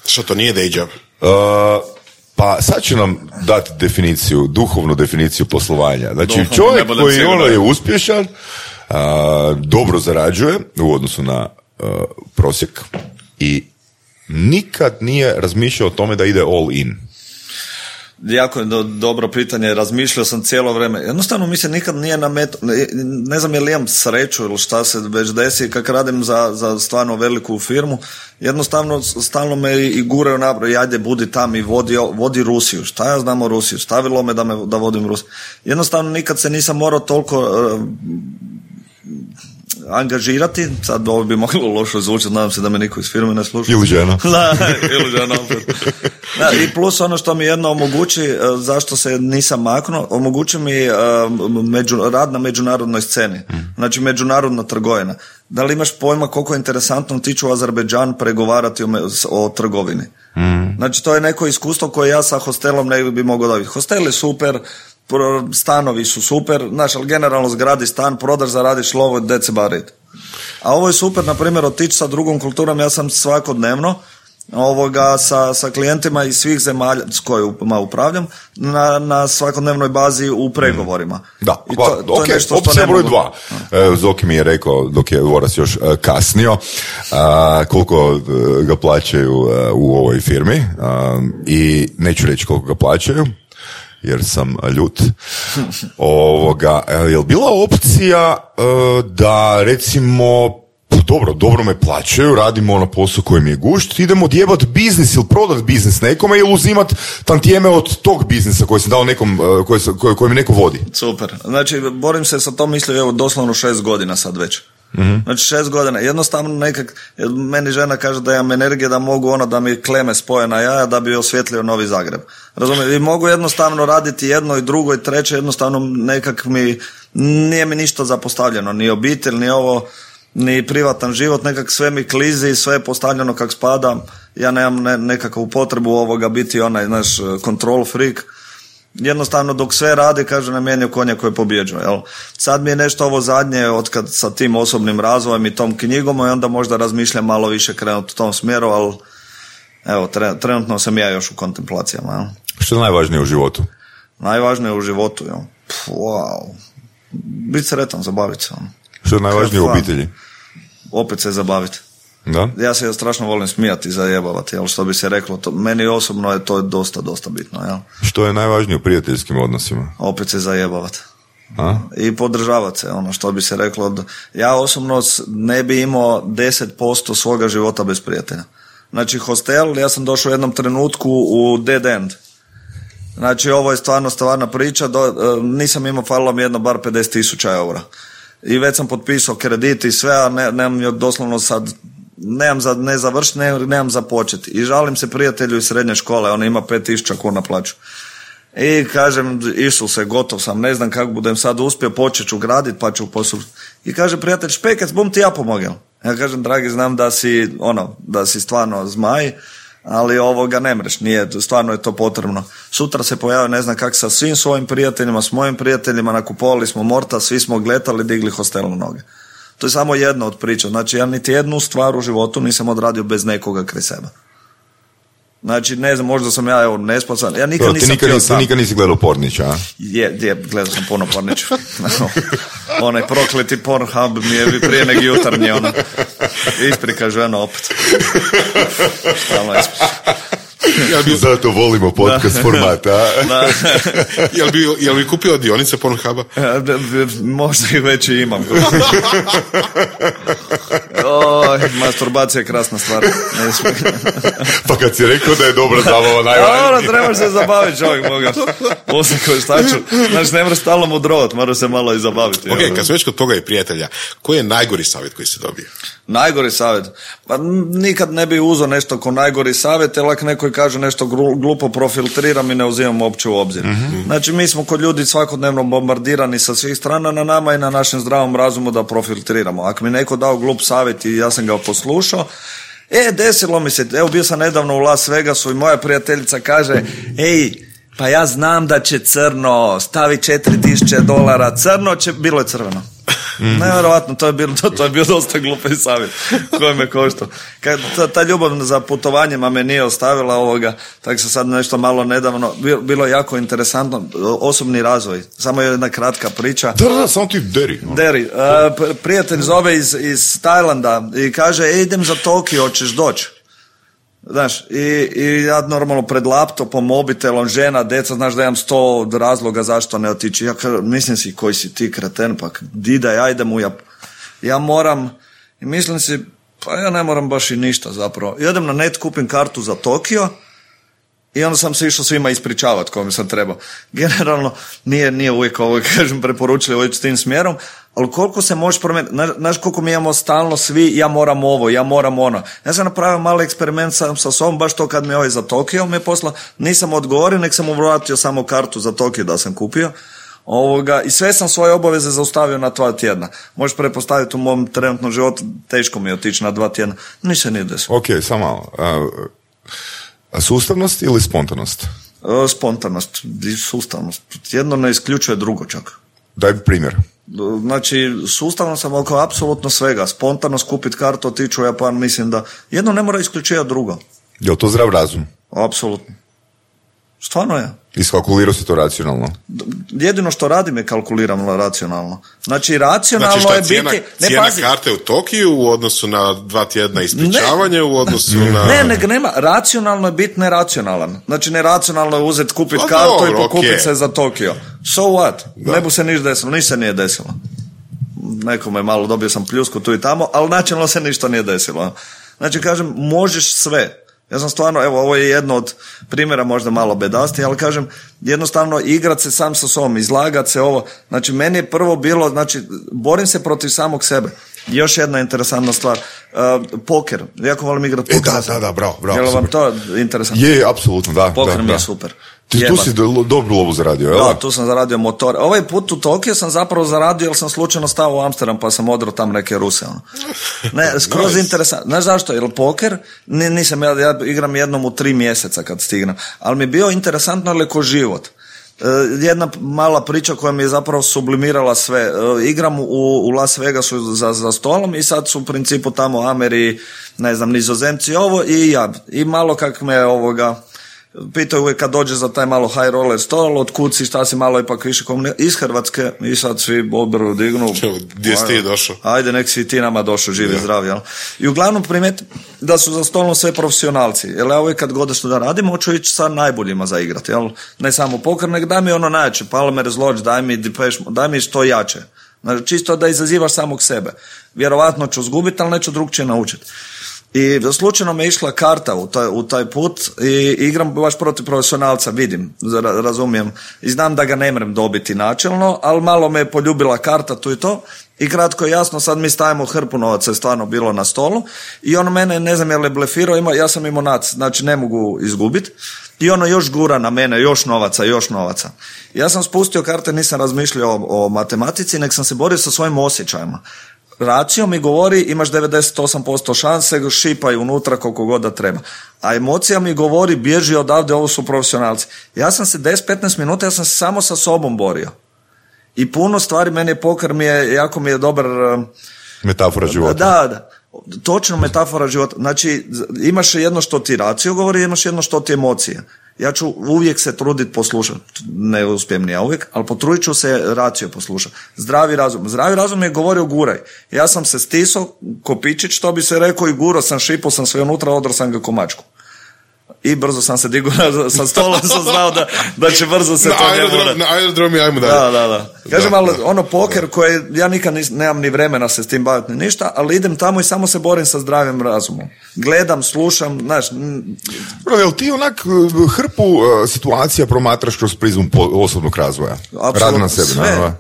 Što to nije day job? Pa sad ću nam dati definiciju, duhovnu definiciju poslovanja. Znači čovjek koji je uspješan, dobro zarađuje u odnosu na prosjek i nikad nije razmišljao o tome da ide all in. Jako je dobro pitanje, razmišljao sam cijelo vrijeme. Jednostavno mi se nikad nije ne znam je li imam sreću ili šta se već desi, kako radim za stvarno veliku firmu, jednostavno stalno me i guraju nabroj, ajde budi tam i vodi Rusiju, šta ja znam o Rusiju, stavilo me da vodim Rusiju. Jednostavno nikad se nisam morao toliko angažirati, sad ovo bi moglo lošo zvučati, nadam se da me niko iz firme ne sluša. Ili žena. Ili žena opet. Da, i plus ono što mi jedno omogući, zašto se nisam maknuo, omogući mi rad na međunarodnoj sceni, znači međunarodna trgovina. Da li imaš pojma koliko je interesantno tiču Azerbejdžan pregovarati o trgovini? Znači to je neko iskustvo koje ja sa hostelom ne bi mogao dobiti. Hostel je super, stanovi su super, znaš, ali generalno zgradi stan, prodaš, zaradiš lovo, that's about it. A ovo je super, na primjer, otići sa drugom kulturom, ja sam svakodnevno sa klijentima iz svih zemalja s kojima upravljam na svakodnevnoj bazi u pregovorima. Da, to je nešto što opcija broj 2. Zoki mi je rekao, dok je Voras još kasnio, koliko ga plaćaju u ovoj firmi i neću reći koliko ga plaćaju, jer sam ljut. Je li bila opcija da recimo dobro me plaćaju, radimo na poslu koji mi je gušt, idemo odjebat biznis ili prodat biznis nekome ili uzimat tantijeme od tog biznisa koji sam dao nekom, koji mi neko vodi. Super. Znači, borim se sa tom mislio, evo, doslovno 6 godina sad već. Znači 6 godina, jednostavno meni žena kaže da imam energije da mogu da mi kleme spoje na jaja da bi osvjetlio Novi Zagreb. Razumijem, i mogu jednostavno raditi jedno i drugo i treće, jednostavno nije mi ništa zapostavljeno, ni obitelj, ni ovo, ni privatan život, nekak sve mi klizi, sve je postavljeno kak spada, ja nemam nekakvu potrebu biti onaj naš control freak. Jednostavno dok sve radi, kaže, namijenio konja koji pobjeđuje. Jel? Sad mi je nešto ovo zadnje otkad sa tim osobnim razvojem i tom knjigom i onda možda razmišljam malo više krenuti u tom smjeru, ali evo, trenutno sam ja još u kontemplacijama. Jel? Što je najvažnije u životu? Najvažnije u životu, jel? Wow. Biti sretan, zabaviti se. Što je najvažnije u obitelji? Opet se zabaviti. Da? Ja se strašno volim smijati i zajebavati, jel, što bi se reklo, meni osobno je to dosta bitno, jel. Što je najvažnije u prijateljskim odnosima? Opet se zajebavati. I podržavati se, što bi se reklo, ja osobno ne bi imao 10% svoga života bez prijatelja. Znači hostel, ja sam došao u jednom trenutku u dead end. Znači ovo je stvarna priča, nisam imao, falilo mi jedno bar 50,000 eura. I već sam potpisao kredit i sve, a nemam doslovno sad, nemam za ne završiti, nemam za početi. I žalim se prijatelju iz srednje škole, on ima 5,000 kuna plaću. I kažem, Isuse, gotov sam, ne znam kako budem sad uspio, počet ću graditi, pa ću poslušati. I kaže prijatelj, špekec, bum ti ja pomogel. Ja kažem, dragi, znam da si stvarno zmaj, ali ovoga ne mreš, stvarno je to potrebno. Sutra se pojavio, ne znam kako, sa svim svojim prijateljima, s mojim prijateljima, nakupovali smo morta, svi smo gletali, digli hostel na noge. To je samo jedna od priča. Znači, ja niti jednu stvar u životu nisam odradio bez nekoga kraj sebe. Znači, ne znam, možda sam ja nesposoban. Ja nikad nisam htio sam. Ti nikad nisi gledao Pornića, a? Gledao sam puno Pornića. Onaj prokleti Pornhub mi je prije nek jutarnje, isprika žena opet. Stalno Zato volimo podcast formata. Jel bi kupio dionice Pornhuba? Možda ih već i imam. Masturbacija je krasna stvar. Pa kad si rekao da je dobra zabava najvažnija. Trebaš se zabaviti, čovjek moga. Osim koji štaču. Znači, ne moraš stalno mudrovat, moraš se malo i zabaviti. Ok, kad su već kod toga i prijatelja, koji je najgori savjet koji si dobio? Najgori savjet? Pa nikad ne bi uzeo nešto ko najgori savjet, jer ako neko kaže nešto glupo, profiltriram i ne uzimam uopće u obzir. Znači, mi smo kod ljudi svakodnevno bombardirani sa svih strana, na nama i na našem zdravom razumu da profiltriramo. Ako mi neko dao glup savjet i ja sam ga poslušao, desilo mi se, evo bio sam nedavno u Las Vegasu i moja prijateljica kaže, pa ja znam da će crno, stavi $4,000, crno će, bilo je crveno. Nevjerovatno, to je bio dosta glupi savjet koji me koštao. Ta ljubav za putovanjima me nije ostavila ovoga, tako se sad nešto malo nedavno, bilo jako interesantno, osobni razvoj, samo jedna kratka priča. Da, samo ti deri. Prijatelj zove iz Tajlanda i kaže, idem za Tokio, hoćeš doći? Znaš, i ja normalno pred laptopom, mobitelom, žena, deca, znaš da imam 100 razloga zašto ne otići. Ja mislim si, koji si ti kreten, pa didaj, ajdem ja moram, i mislim si, pa ja ne moram baš i ništa zapravo. I odem na net, kupim kartu za Tokio I onda sam se išao svima ispričavati kome sam trebao. Generalno, nije uvijek ovo, kažem, preporučili ići s tim smjerom, ali koliko se možeš promijeniti, znaš koliko mi imamo stalno svi, ja moram ovo, ja moram ono. Ja sam napravio mali eksperiment sa sobom, baš to kad mi ovaj za Tokio me posla, nisam odgovorio, nek sam mu vratio samo kartu za Tokio da sam kupio. I sve sam svoje obaveze zaustavio na 2 tjedna. Možeš pretpostaviti u mom trenutnom životu, teško mi je otići na 2 tjedna. Ništa nije desilo. Ok, samo malo. Sustavnost ili spontanost? Spontanost i sustavnost. Jedno ne isključuje drugo čak. Daj primjer. Znači, sustavno sam oko apsolutno svega. Spontanost, kupiti kartu, otići u Japan, mislim da jedno ne mora isključivati drugo. Je li to zdrav razum? Apsolutno. Stvarno je. Iskalkulirao si to racionalno? Jedino što radim je kalkuliram racionalno. Znači, racionalno znači, je biti... Cijena karte u Tokiju u odnosu na 2 tjedna ispričavanje u odnosu na... nema. Racionalno je biti neracionalan. Znači, neracionalno je uzeti, kupiti kartu i pokupiti se za Tokio. So what? Ne bu se ništa desilo. Ništa se nije desilo. Nekome malo dobio sam pljusku tu i tamo, ali načelno se ništa nije desilo. Znači, kažem, možeš sve. Ja sam stvarno, evo, ovo je jedno od primjera možda malo bedasti, ali kažem, jednostavno igrat se sam sa sobom, izlagat se ovo. Znači, meni je prvo bilo, znači, borim se protiv samog sebe. Još jedna interesantna stvar, poker. Jako volim igrati poker. Da, bravo. Je li vam to interesantno? Je, apsolutno, da. Poker mi je super. Tu si dobru lovu zaradio, jel? Da, tu sam zaradio motor. Ovaj put u Tokio sam zapravo zaradio jer sam slučajno stao u Amsterdam pa sam odrao tam neke Ruse. Ne, skroz interesantno. Znaš zašto? Jer poker, nisam, ja igram jednom u 3 mjeseca kad stignem, ali mi je bio interesantno ali ko život. Jedna mala priča koja mi je zapravo sublimirala sve. Igram u Las Vegasu za stolom i sad su u principu tamo Ameri, ne znam, Nizozemci ovo i ja. I malo kak me pitaju uvijek kad dođe za taj malo high roller stol, od kud si, šta si malo ipak više iz Hrvatske i sad svi obrvu dignu. Gdje si ti došao? Ajde, nek si ti nama došao, živi zdravi. Jel? I uglavnom primijeti da su za stolom sve profesionalci. Jer ja uvijek kad god što da radim, hoću ići sa najboljima za igrati. Jel? Ne samo poker, nek daj mi ono najjače, Palmer's Lodge, daj mi što jače. Znači, čisto da izazivaš samog sebe. Vjerovatno ću zgubiti, ali neću drugčije naučiti. I slučajno me išla karta u taj put i igram baš protiv profesionalca, vidim, razumijem. I znam da ga ne mrem dobiti načelno, ali malo me je poljubila karta tu i to. I kratko i jasno, sad mi stavimo hrpu novaca, je stvarno bilo na stolu. I ono mene, ne znam je li blefirao, ja sam imao nac, znači ne mogu izgubiti. I ono još gura na mene, još novaca. Ja sam spustio karte, nisam razmišljao o matematici, nek sam se borio sa svojim osjećajima. Racio mi govori imaš 98% šanse, šipaj unutra koliko god da treba. A emocija mi govori bježi odavde, ovo su profesionalci. Ja sam se 10-15 minuta, ja sam se samo sa sobom borio. I puno stvari, meni je poker, jako mi je dobar... Metafora života. Da. Točno metafora života. Znači, imaš jedno što ti racio govori, imaš jedno što ti emocije. Ja ću uvijek se truditi poslušati, ne uspijem ni ja uvijek, ali potrudit ću se racio poslušati. Zdravi razum je govorio guraj. Ja sam se stisao, kopičić, što bi se rekao, i gurao sam, šipao sam sve unutra, odrao sam ga komačku. I brzo sam se digao sa stola, sam znao da će brzo se to njemu... Na aerodromi, ajmo dalje. Da. Kažem, ali ono poker koje ja nikad nemam ni vremena se s tim baviti ni ništa, ali idem tamo i samo se borim sa zdravim razumom. Gledam, slušam, znaš... Bro, jel ti onak hrpu situacija promatraš kroz prizmu osobnog razvoja? Radi na sebi.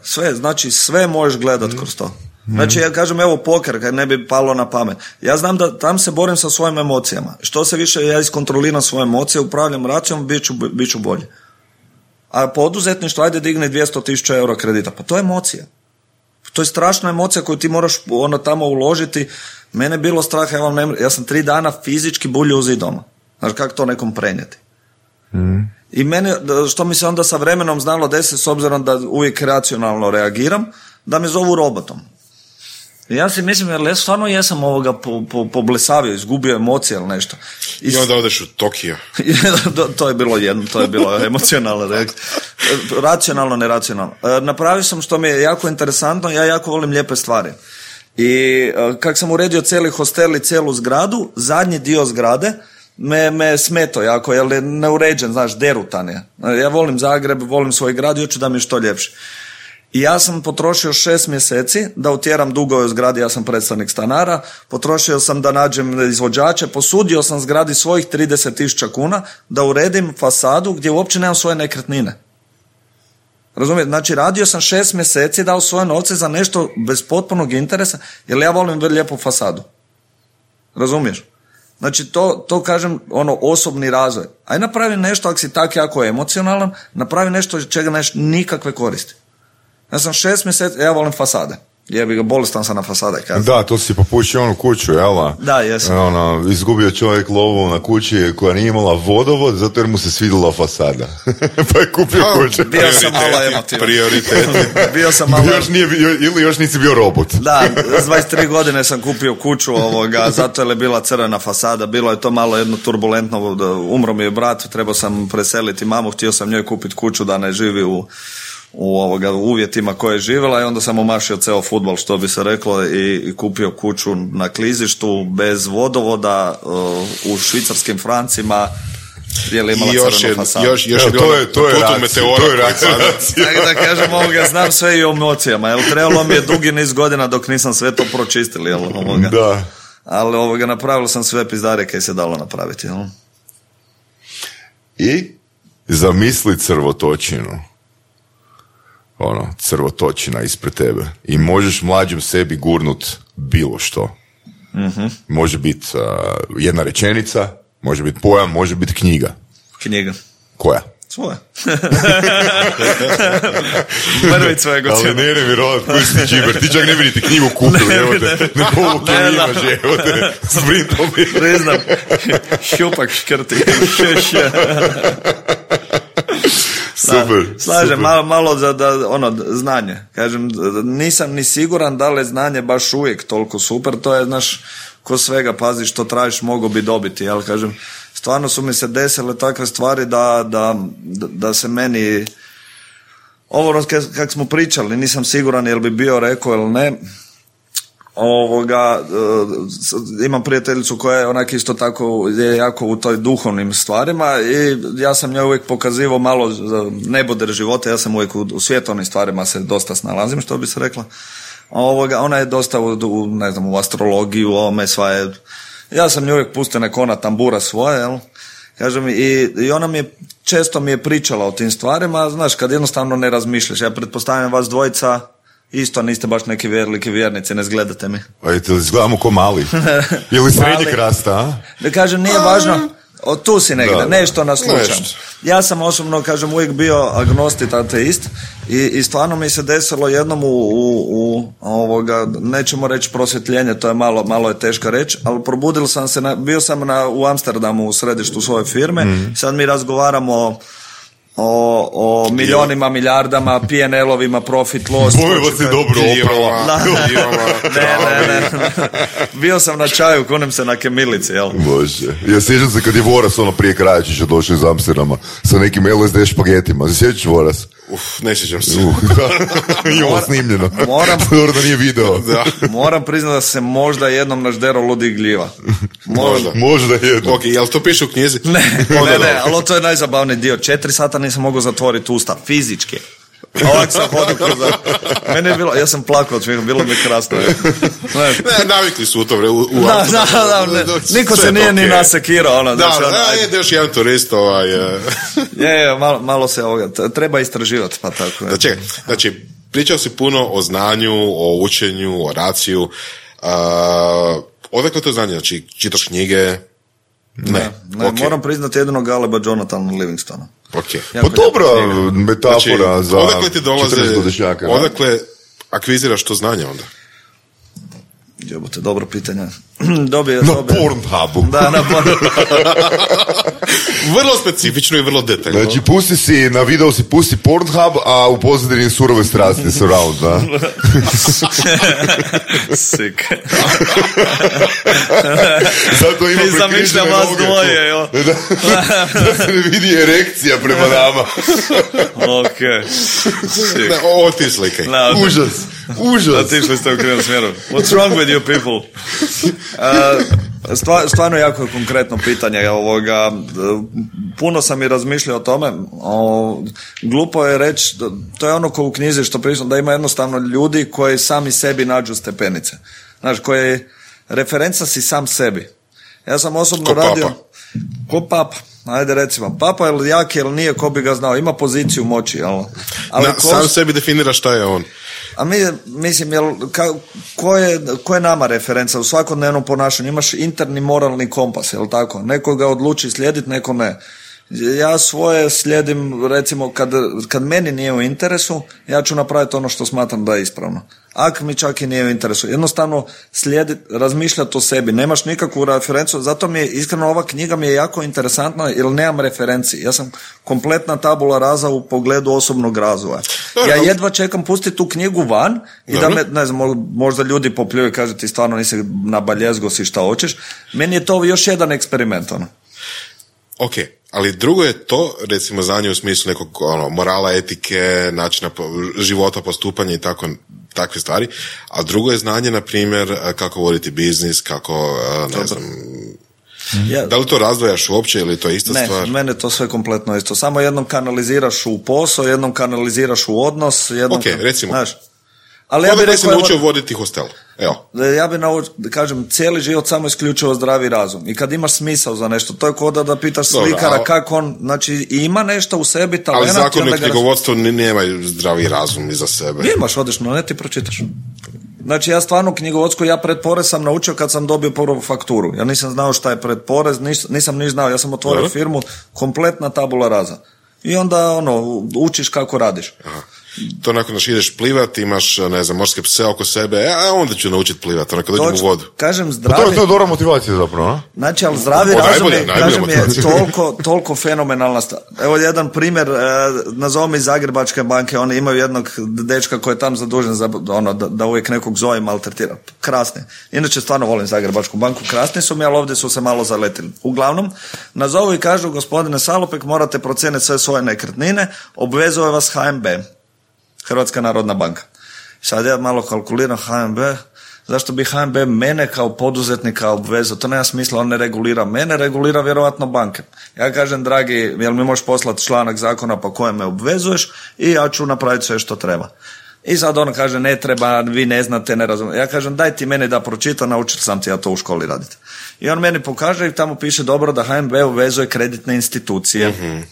Sve, znači sve možeš gledati kroz to. Znači, ja kažem, evo poker, kad ne bi palo na pamet. Ja znam da tam se borim sa svojim emocijama. Što se više ja iskontroliram svoje emocije, upravljam racijom, bit ću bolji. A poduzetništvo, ajde digni 200.000 eura kredita. Pa to je emocija. To je strašna emocija koju ti moraš tamo uložiti. Mene je bilo strah, ja sam 3 dana fizički buljio u zid doma. Znaš, kako to nekom prenijeti? I mene, što mi se onda sa vremenom znalo desiti, s obzirom da uvijek racionalno reagiram, da me zovu robotom. Ja si mislim, jer ja stvarno jesam poblesavio, izgubio emocije ili nešto. I onda odeš u Tokio. To je bilo emocionalno. Racionalno, neracionalno. Napravio sam što mi je jako interesantno, ja jako volim lijepe stvari. I kak sam uredio cijeli hostel i cijelu zgradu, zadnji dio zgrade me smeto jako, jer je neuređen, znaš, derutan je. Ja volim Zagreb, volim svoj grad i hoću da mi je što ljepše. I ja sam potrošio 6 mjeseci da utjeram dugove u zgradi, ja sam predstavnik stanara, potrošio sam da nađem izvođače, posudio sam zgradi svojih 30.000 kuna da uredim fasadu gdje uopće nemam svoje nekretnine. Razumijete? Znači radio sam 6 mjeseci, dao svoje novce za nešto bez potpunog interesa, jer ja volim lijepu fasadu. Razumiješ? Znači to kažem, osobni razvoj. Aj napravi nešto, ako si tak jako emocionalan, napravi nešto čega neš nikakve koristi. Ja sam 6 mjeseci, ja volim fasade. Jebi ga, bolestan sam na fasade. Da, to si popušio onu kuću, jel? Da, jesam. Izgubio čovjek lovu na kući koja nije imala vodovod, zato jer mu se svidjela fasada. Pa je kupio kuću. Bio sam malo emotivan. Prioritet. Bio sam malo... Ili još nisi bio robot. Da, s 23 godine sam kupio kuću zato je bila crvena fasada. Bilo je to malo jedno turbulentno, umro mi je brat, trebao sam preseliti mamu, htio sam njoj kupiti kuću da ne živi u uvjetima koje je živjela i onda sam omašio ceo fudbal, što bi se reklo, i kupio kuću na klizištu bez vodovoda u švicarskim francima gdje je imala crvenu fasadu. To je racija. Da kažem, znam sve i o emocijama, jel trebalo mi je dugi niz godina dok nisam sve to pročistili, jel? Da. Ali napravilo sam sve pizdare kaj se dalo napraviti, jel? I zamisli crvotočinu. Crvotočina ispred tebe i možeš mlađem sebi gurnut bilo što. Mm-hmm. Može biti jedna rečenica, može biti pojam, može biti knjiga. Knjiga. Koja? Svoja. Mrvić svojeg od Ali ne vjerovat koji si ti džiber, ti čak ne bi niti knjigu kupili, evo te, ne povuke imaš, evo te, sprintom je. Priznam, šupak škrti. Super. Slažem, malo za znanje. Kažem, nisam ni siguran da li je znanje baš uvijek toliko super, to je, ko svega, pazi što tražiš, mogu bi dobiti, jel, kažem, stvarno su mi se desile takve stvari da se meni, ovo kak smo pričali, nisam siguran jel bi bio rekao ili ne, imam prijateljicu koja je onak isto tako je jako u toj duhovnim stvarima i ja sam njoj uvijek pokazivao malo neboder života, ja sam uvijek u svjetovnim stvarima se dosta snalazim, što bi se rekla. Ona je dosta u astrologiju, ja sam njoj uvijek pustio nekona tambura svoje, jel? Kažem, i ona često mi je pričala o tim stvarima, znaš, kad jednostavno ne razmišljaš, ja pretpostavljam vas dvojica isto niste baš neki veliki vjernici, ne zgledate mi. A izgledamo ko mali. Ili srednjeg rasta, a? Da kažem, nije važno, tu si negdje, nešto naslušam. Ja sam osobno, kažem, uvijek bio agnostik, ateist i stvarno mi se desilo jednom nećemo reći prosvjetljenje, to je malo je teška reći, ali probudil sam se, bio sam u Amsterdamu u središtu svoje firme, sad mi razgovaramo o milionima, milijardama, PNL-ovima, profit, loss. Bojeva si dobro oprava. Ne. Bio sam na čaju, kunem se na kemilici, jel? Bože. Ja sjećam se kad je Voras prije Krajačića došao iz Amsterdama sa nekim LSD špagetima. Sjećaš Voras? Ne sjećam se. Imamo snimljeno. Da nije video. Moram priznati da se možda jednom naždero ludi gljiva. Možda jednom. Ok, jel to piše u knjizi? Ne, ali to je najzabavniji dio. 4 sata nisam mogao zatvoriti usta, fizički. Ovak sam hodio kroz... Mene je bilo, ja sam plakao od smijeha, bilo mi krasno. Navikli su u to niko se nije ni nasekirao. Još jedan turist. Malo se treba istraživati, pa tako. Znači, pričao si puno o znanju, o učenju, o raciju. Odakle to znanje? Znači, čitaš knjige? Ne, okay. Moram priznati jedino Galeba Jonathana Livingstona. Okay. Pa dobra metafora za 40-godišnjaka. Odakle akviziraš to znanje onda? Jebote, dobro pitanje. Na Pornhubu. Da, na Pornhubu. Vrlo specifično i vrlo detaljno. Znači, na video pusti Pornhub, a u pozadini surove strasti surround, da? Sick. Zato ima zamišljam vas dvoje, jo. Da se ne vidi erekcija prema nama. Ok. Ovo ti slikaj. Užas. Užas. Otišli ste u krivom smjeru. What's wrong with you people? Stvarno jako je konkretno pitanje. Puno sam i razmišljao o tome. Glupo je reći, to je ono ko u knjizi što pričam, da ima jednostavno ljudi koji sami sebi nađu stepenice. Znaš, koje referenca si sam sebi. Ja sam osobno radio... Ko papa. Ajde recimo, papa je jak ili nije, ko bi ga znao, ima poziciju moći, jel? Ali sam sebi definira šta je on. A mislim, ko je nama referenca u svakodnevnom ponašanju? Imaš interni moralni kompas, jel tako? Neko ga odluči slijediti, neko ne. Ja svoje slijedim, recimo, kad meni nije u interesu, ja ću napraviti ono što smatram da je ispravno. Ako mi čak i nije u interesu. Jednostavno razmišljati o sebi. Nemaš nikakvu referencu, zato mi je, iskreno, ova knjiga mi je jako interesantna, jer nemam referenciji. Ja sam kompletna tabula rasa u pogledu osobnog razvoja. Ja jedva čekam pustiti tu knjigu van i da me, ne znam, možda ljudi popljuju i kaže ti stvarno nisi na baljezgo si šta hoćeš. Meni je to još jedan eksperiment, ono. Ok, ali drugo je to, recimo, za nje u smislu nekog morala, etike, načina života, postupanja i takve stvari, a drugo je znanje, na primjer, kako voditi biznis, kako, ne znam, da li to razdvajaš uopće ili to je ista stvar? Ne, mene to sve kompletno isto. Samo jednom kanaliziraš u posao, jednom kanaliziraš u odnos, jednom... Ok, recimo. Znaš, ali ja bih rekao, si naučio voditi hostel. Evo. Ja bih kažem, cijeli život samo isključivo zdravi razum. I kad imaš smisao za nešto, to je kao da pitaš slikara kako on, znači ima nešto u sebi, talena. Ali zakon u knjigovodstvu nemaju zdravi razum iza sebe. Imaš, odeš na net i pročitaš. Znači ja stvarno knjigovodsku, ja predporez sam naučio kad sam dobio prvu fakturu. Ja nisam znao šta je predporez, nisam ni znao, ja sam otvorio firmu, kompletna tabula rasa. I onda učiš kako radiš. Aha. To nakon što ideš plivat, imaš, ne znam, morske pse oko sebe, onda ću naučiti plivati, kad dođem u vodu. Kažem, zdravi... To je dobra motivacija zapravo, no? Znači, ali zdravi razum je, kažem, je toliko fenomenalna stvar. Evo jedan primjer, nazovimo iz Zagrebačke banke, oni imaju jednog dečka koji je tam zadužen za da uvijek nekog zove maltretira. Krasni. Inače, stvarno volim Zagrebačku banku, krasni su mi, ali ovdje su se malo zaletili. Uglavnom, nazovu i kažu, gospodine Salopek, morate procijeniti sve svoje nekretnine, obvezuje vas HNB. Hrvatska narodna banka. Sad ja malo kalkuliram HNB, zašto bi HNB mene kao poduzetnika obvezao? To nema smisla, on ne regulira mene, regulira vjerojatno banke. Ja kažem, dragi, jel mi možeš poslati članak zakona po kojem me obvezuješ i ja ću napraviti sve što treba. I sad on kaže, ne treba, vi ne znate, ne razumijete. Ja kažem, daj ti meni da pročitam, naučit sam ti ja to u školi raditi. I on meni pokaže i tamo piše dobro da HNB obvezuje kreditne institucije. Mm-hmm.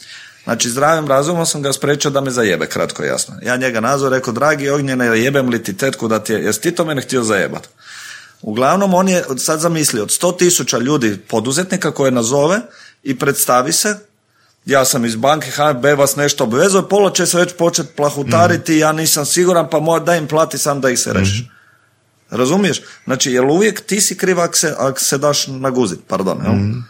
Znači, zdravim razumom sam ga spriječio da me zajebe, kratko i jasno. Ja njega nazvao, rekao, dragi Ognjene, jebem li ti tetku da ti je, jesi ti to mene htio zajebat? Uglavnom, on je sad zamislio od 100.000 ljudi poduzetnika koje nazove i predstavi se, ja sam iz banke, HNB vas nešto obvezuje, pola će se već početi plahutariti, ja nisam siguran, pa daj im plati sam da ih se rešiš. Razumiješ? Znači, jel uvijek ti si kriv ako se daš naguzit, pardon, jel?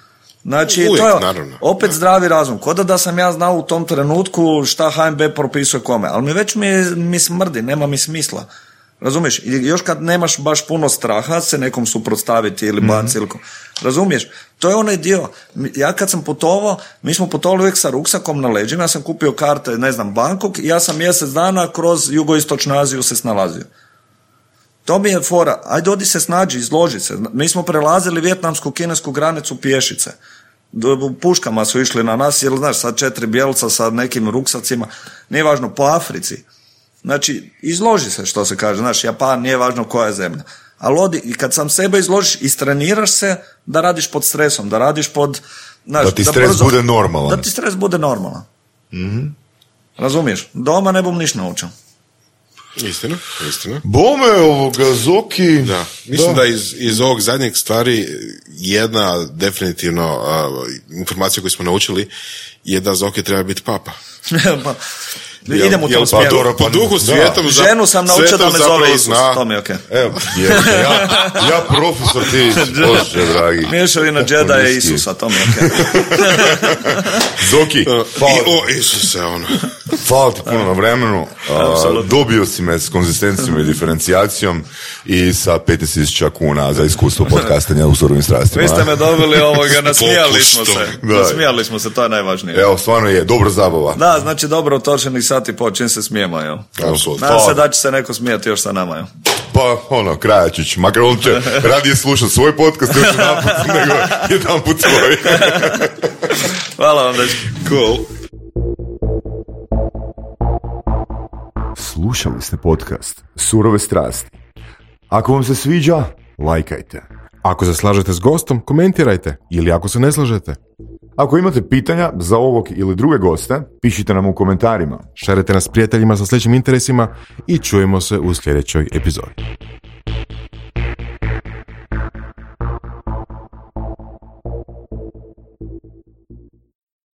Znači, uvijek, to je naravno. Opet zdravi razum. Koda da sam ja znao u tom trenutku šta HNB propisuje kome. Ali mi već mi smrdi, nema mi smisla. Razumiješ? I još kad nemaš baš puno straha se nekom suprotstaviti ili baciti. Razumiješ? To je onaj dio. Ja kad sam putovao, mi smo putovali uvijek sa ruksakom na leđima. Ja sam kupio karte, ne znam, Bangkok i ja sam mjesec dana kroz jugoistočnu Aziju se snalazio. To mi je fora, ajde odi se snađi, izloži se. Mi smo prelazili vijetnamsku-kinesku granicu pješice. Puškama su išli na nas, jer znaš, sad 4 bijelca sa nekim ruksacima, nije važno, po Africi. Znači, izloži se, što se kaže, znaš, Japan, nije važno koja je zemlja. Ali odi, i kad sam sebe izložiš, istreniraš se da radiš pod stresom, da radiš pod... Znaš, da ti stres bude normalan. Da ti stres bude normalan. Mm-hmm. Razumiješ? Doma ne bom ništa naučio. Istina. Bome ovoga, Zoki... Da, mislim da iz ovog zadnjeg stvari jedna definitivno informacija koju smo naučili je da Zoki treba biti papa. Idemo u tom smjeru. Po duhu svijetom... Ženu sam naučio da me zove Isus, to mi je okej. Evo, ja profesor ti, Bože dragi. Mješavina Džeda je Isusa, to mi je okej. Zoki, Isuse, hvala ti puno na vremenu. Dobio si me s konzistencijom i diferencijacijom i sa 15.000 kuna za iskustvo podcastanja u surovim strastima. Vi ste me dobili nasmijali smo se. Nasmijali smo se, to je najvažnije. Evo, stvarno je, dobra zabava. Da, znači dobro utočeni sat i po, čim se smijemo, jel? Nadam se da će se neko smijati još sa nama, jel? Pa, Krajačić, makar on će radije slušati svoj podcast još jedan put svoj. Hvala vam, dečki. Cool. Slušali ste podcast Surove strasti. Ako vam se sviđa, lajkajte. Ako se slažete s gostom, komentirajte. Ili ako se ne slažete. Ako imate pitanja za ovog ili druge goste, pišite nam u komentarima. Šerite nas prijateljima sa sličnim interesima i čujemo se u sljedećoj epizodi.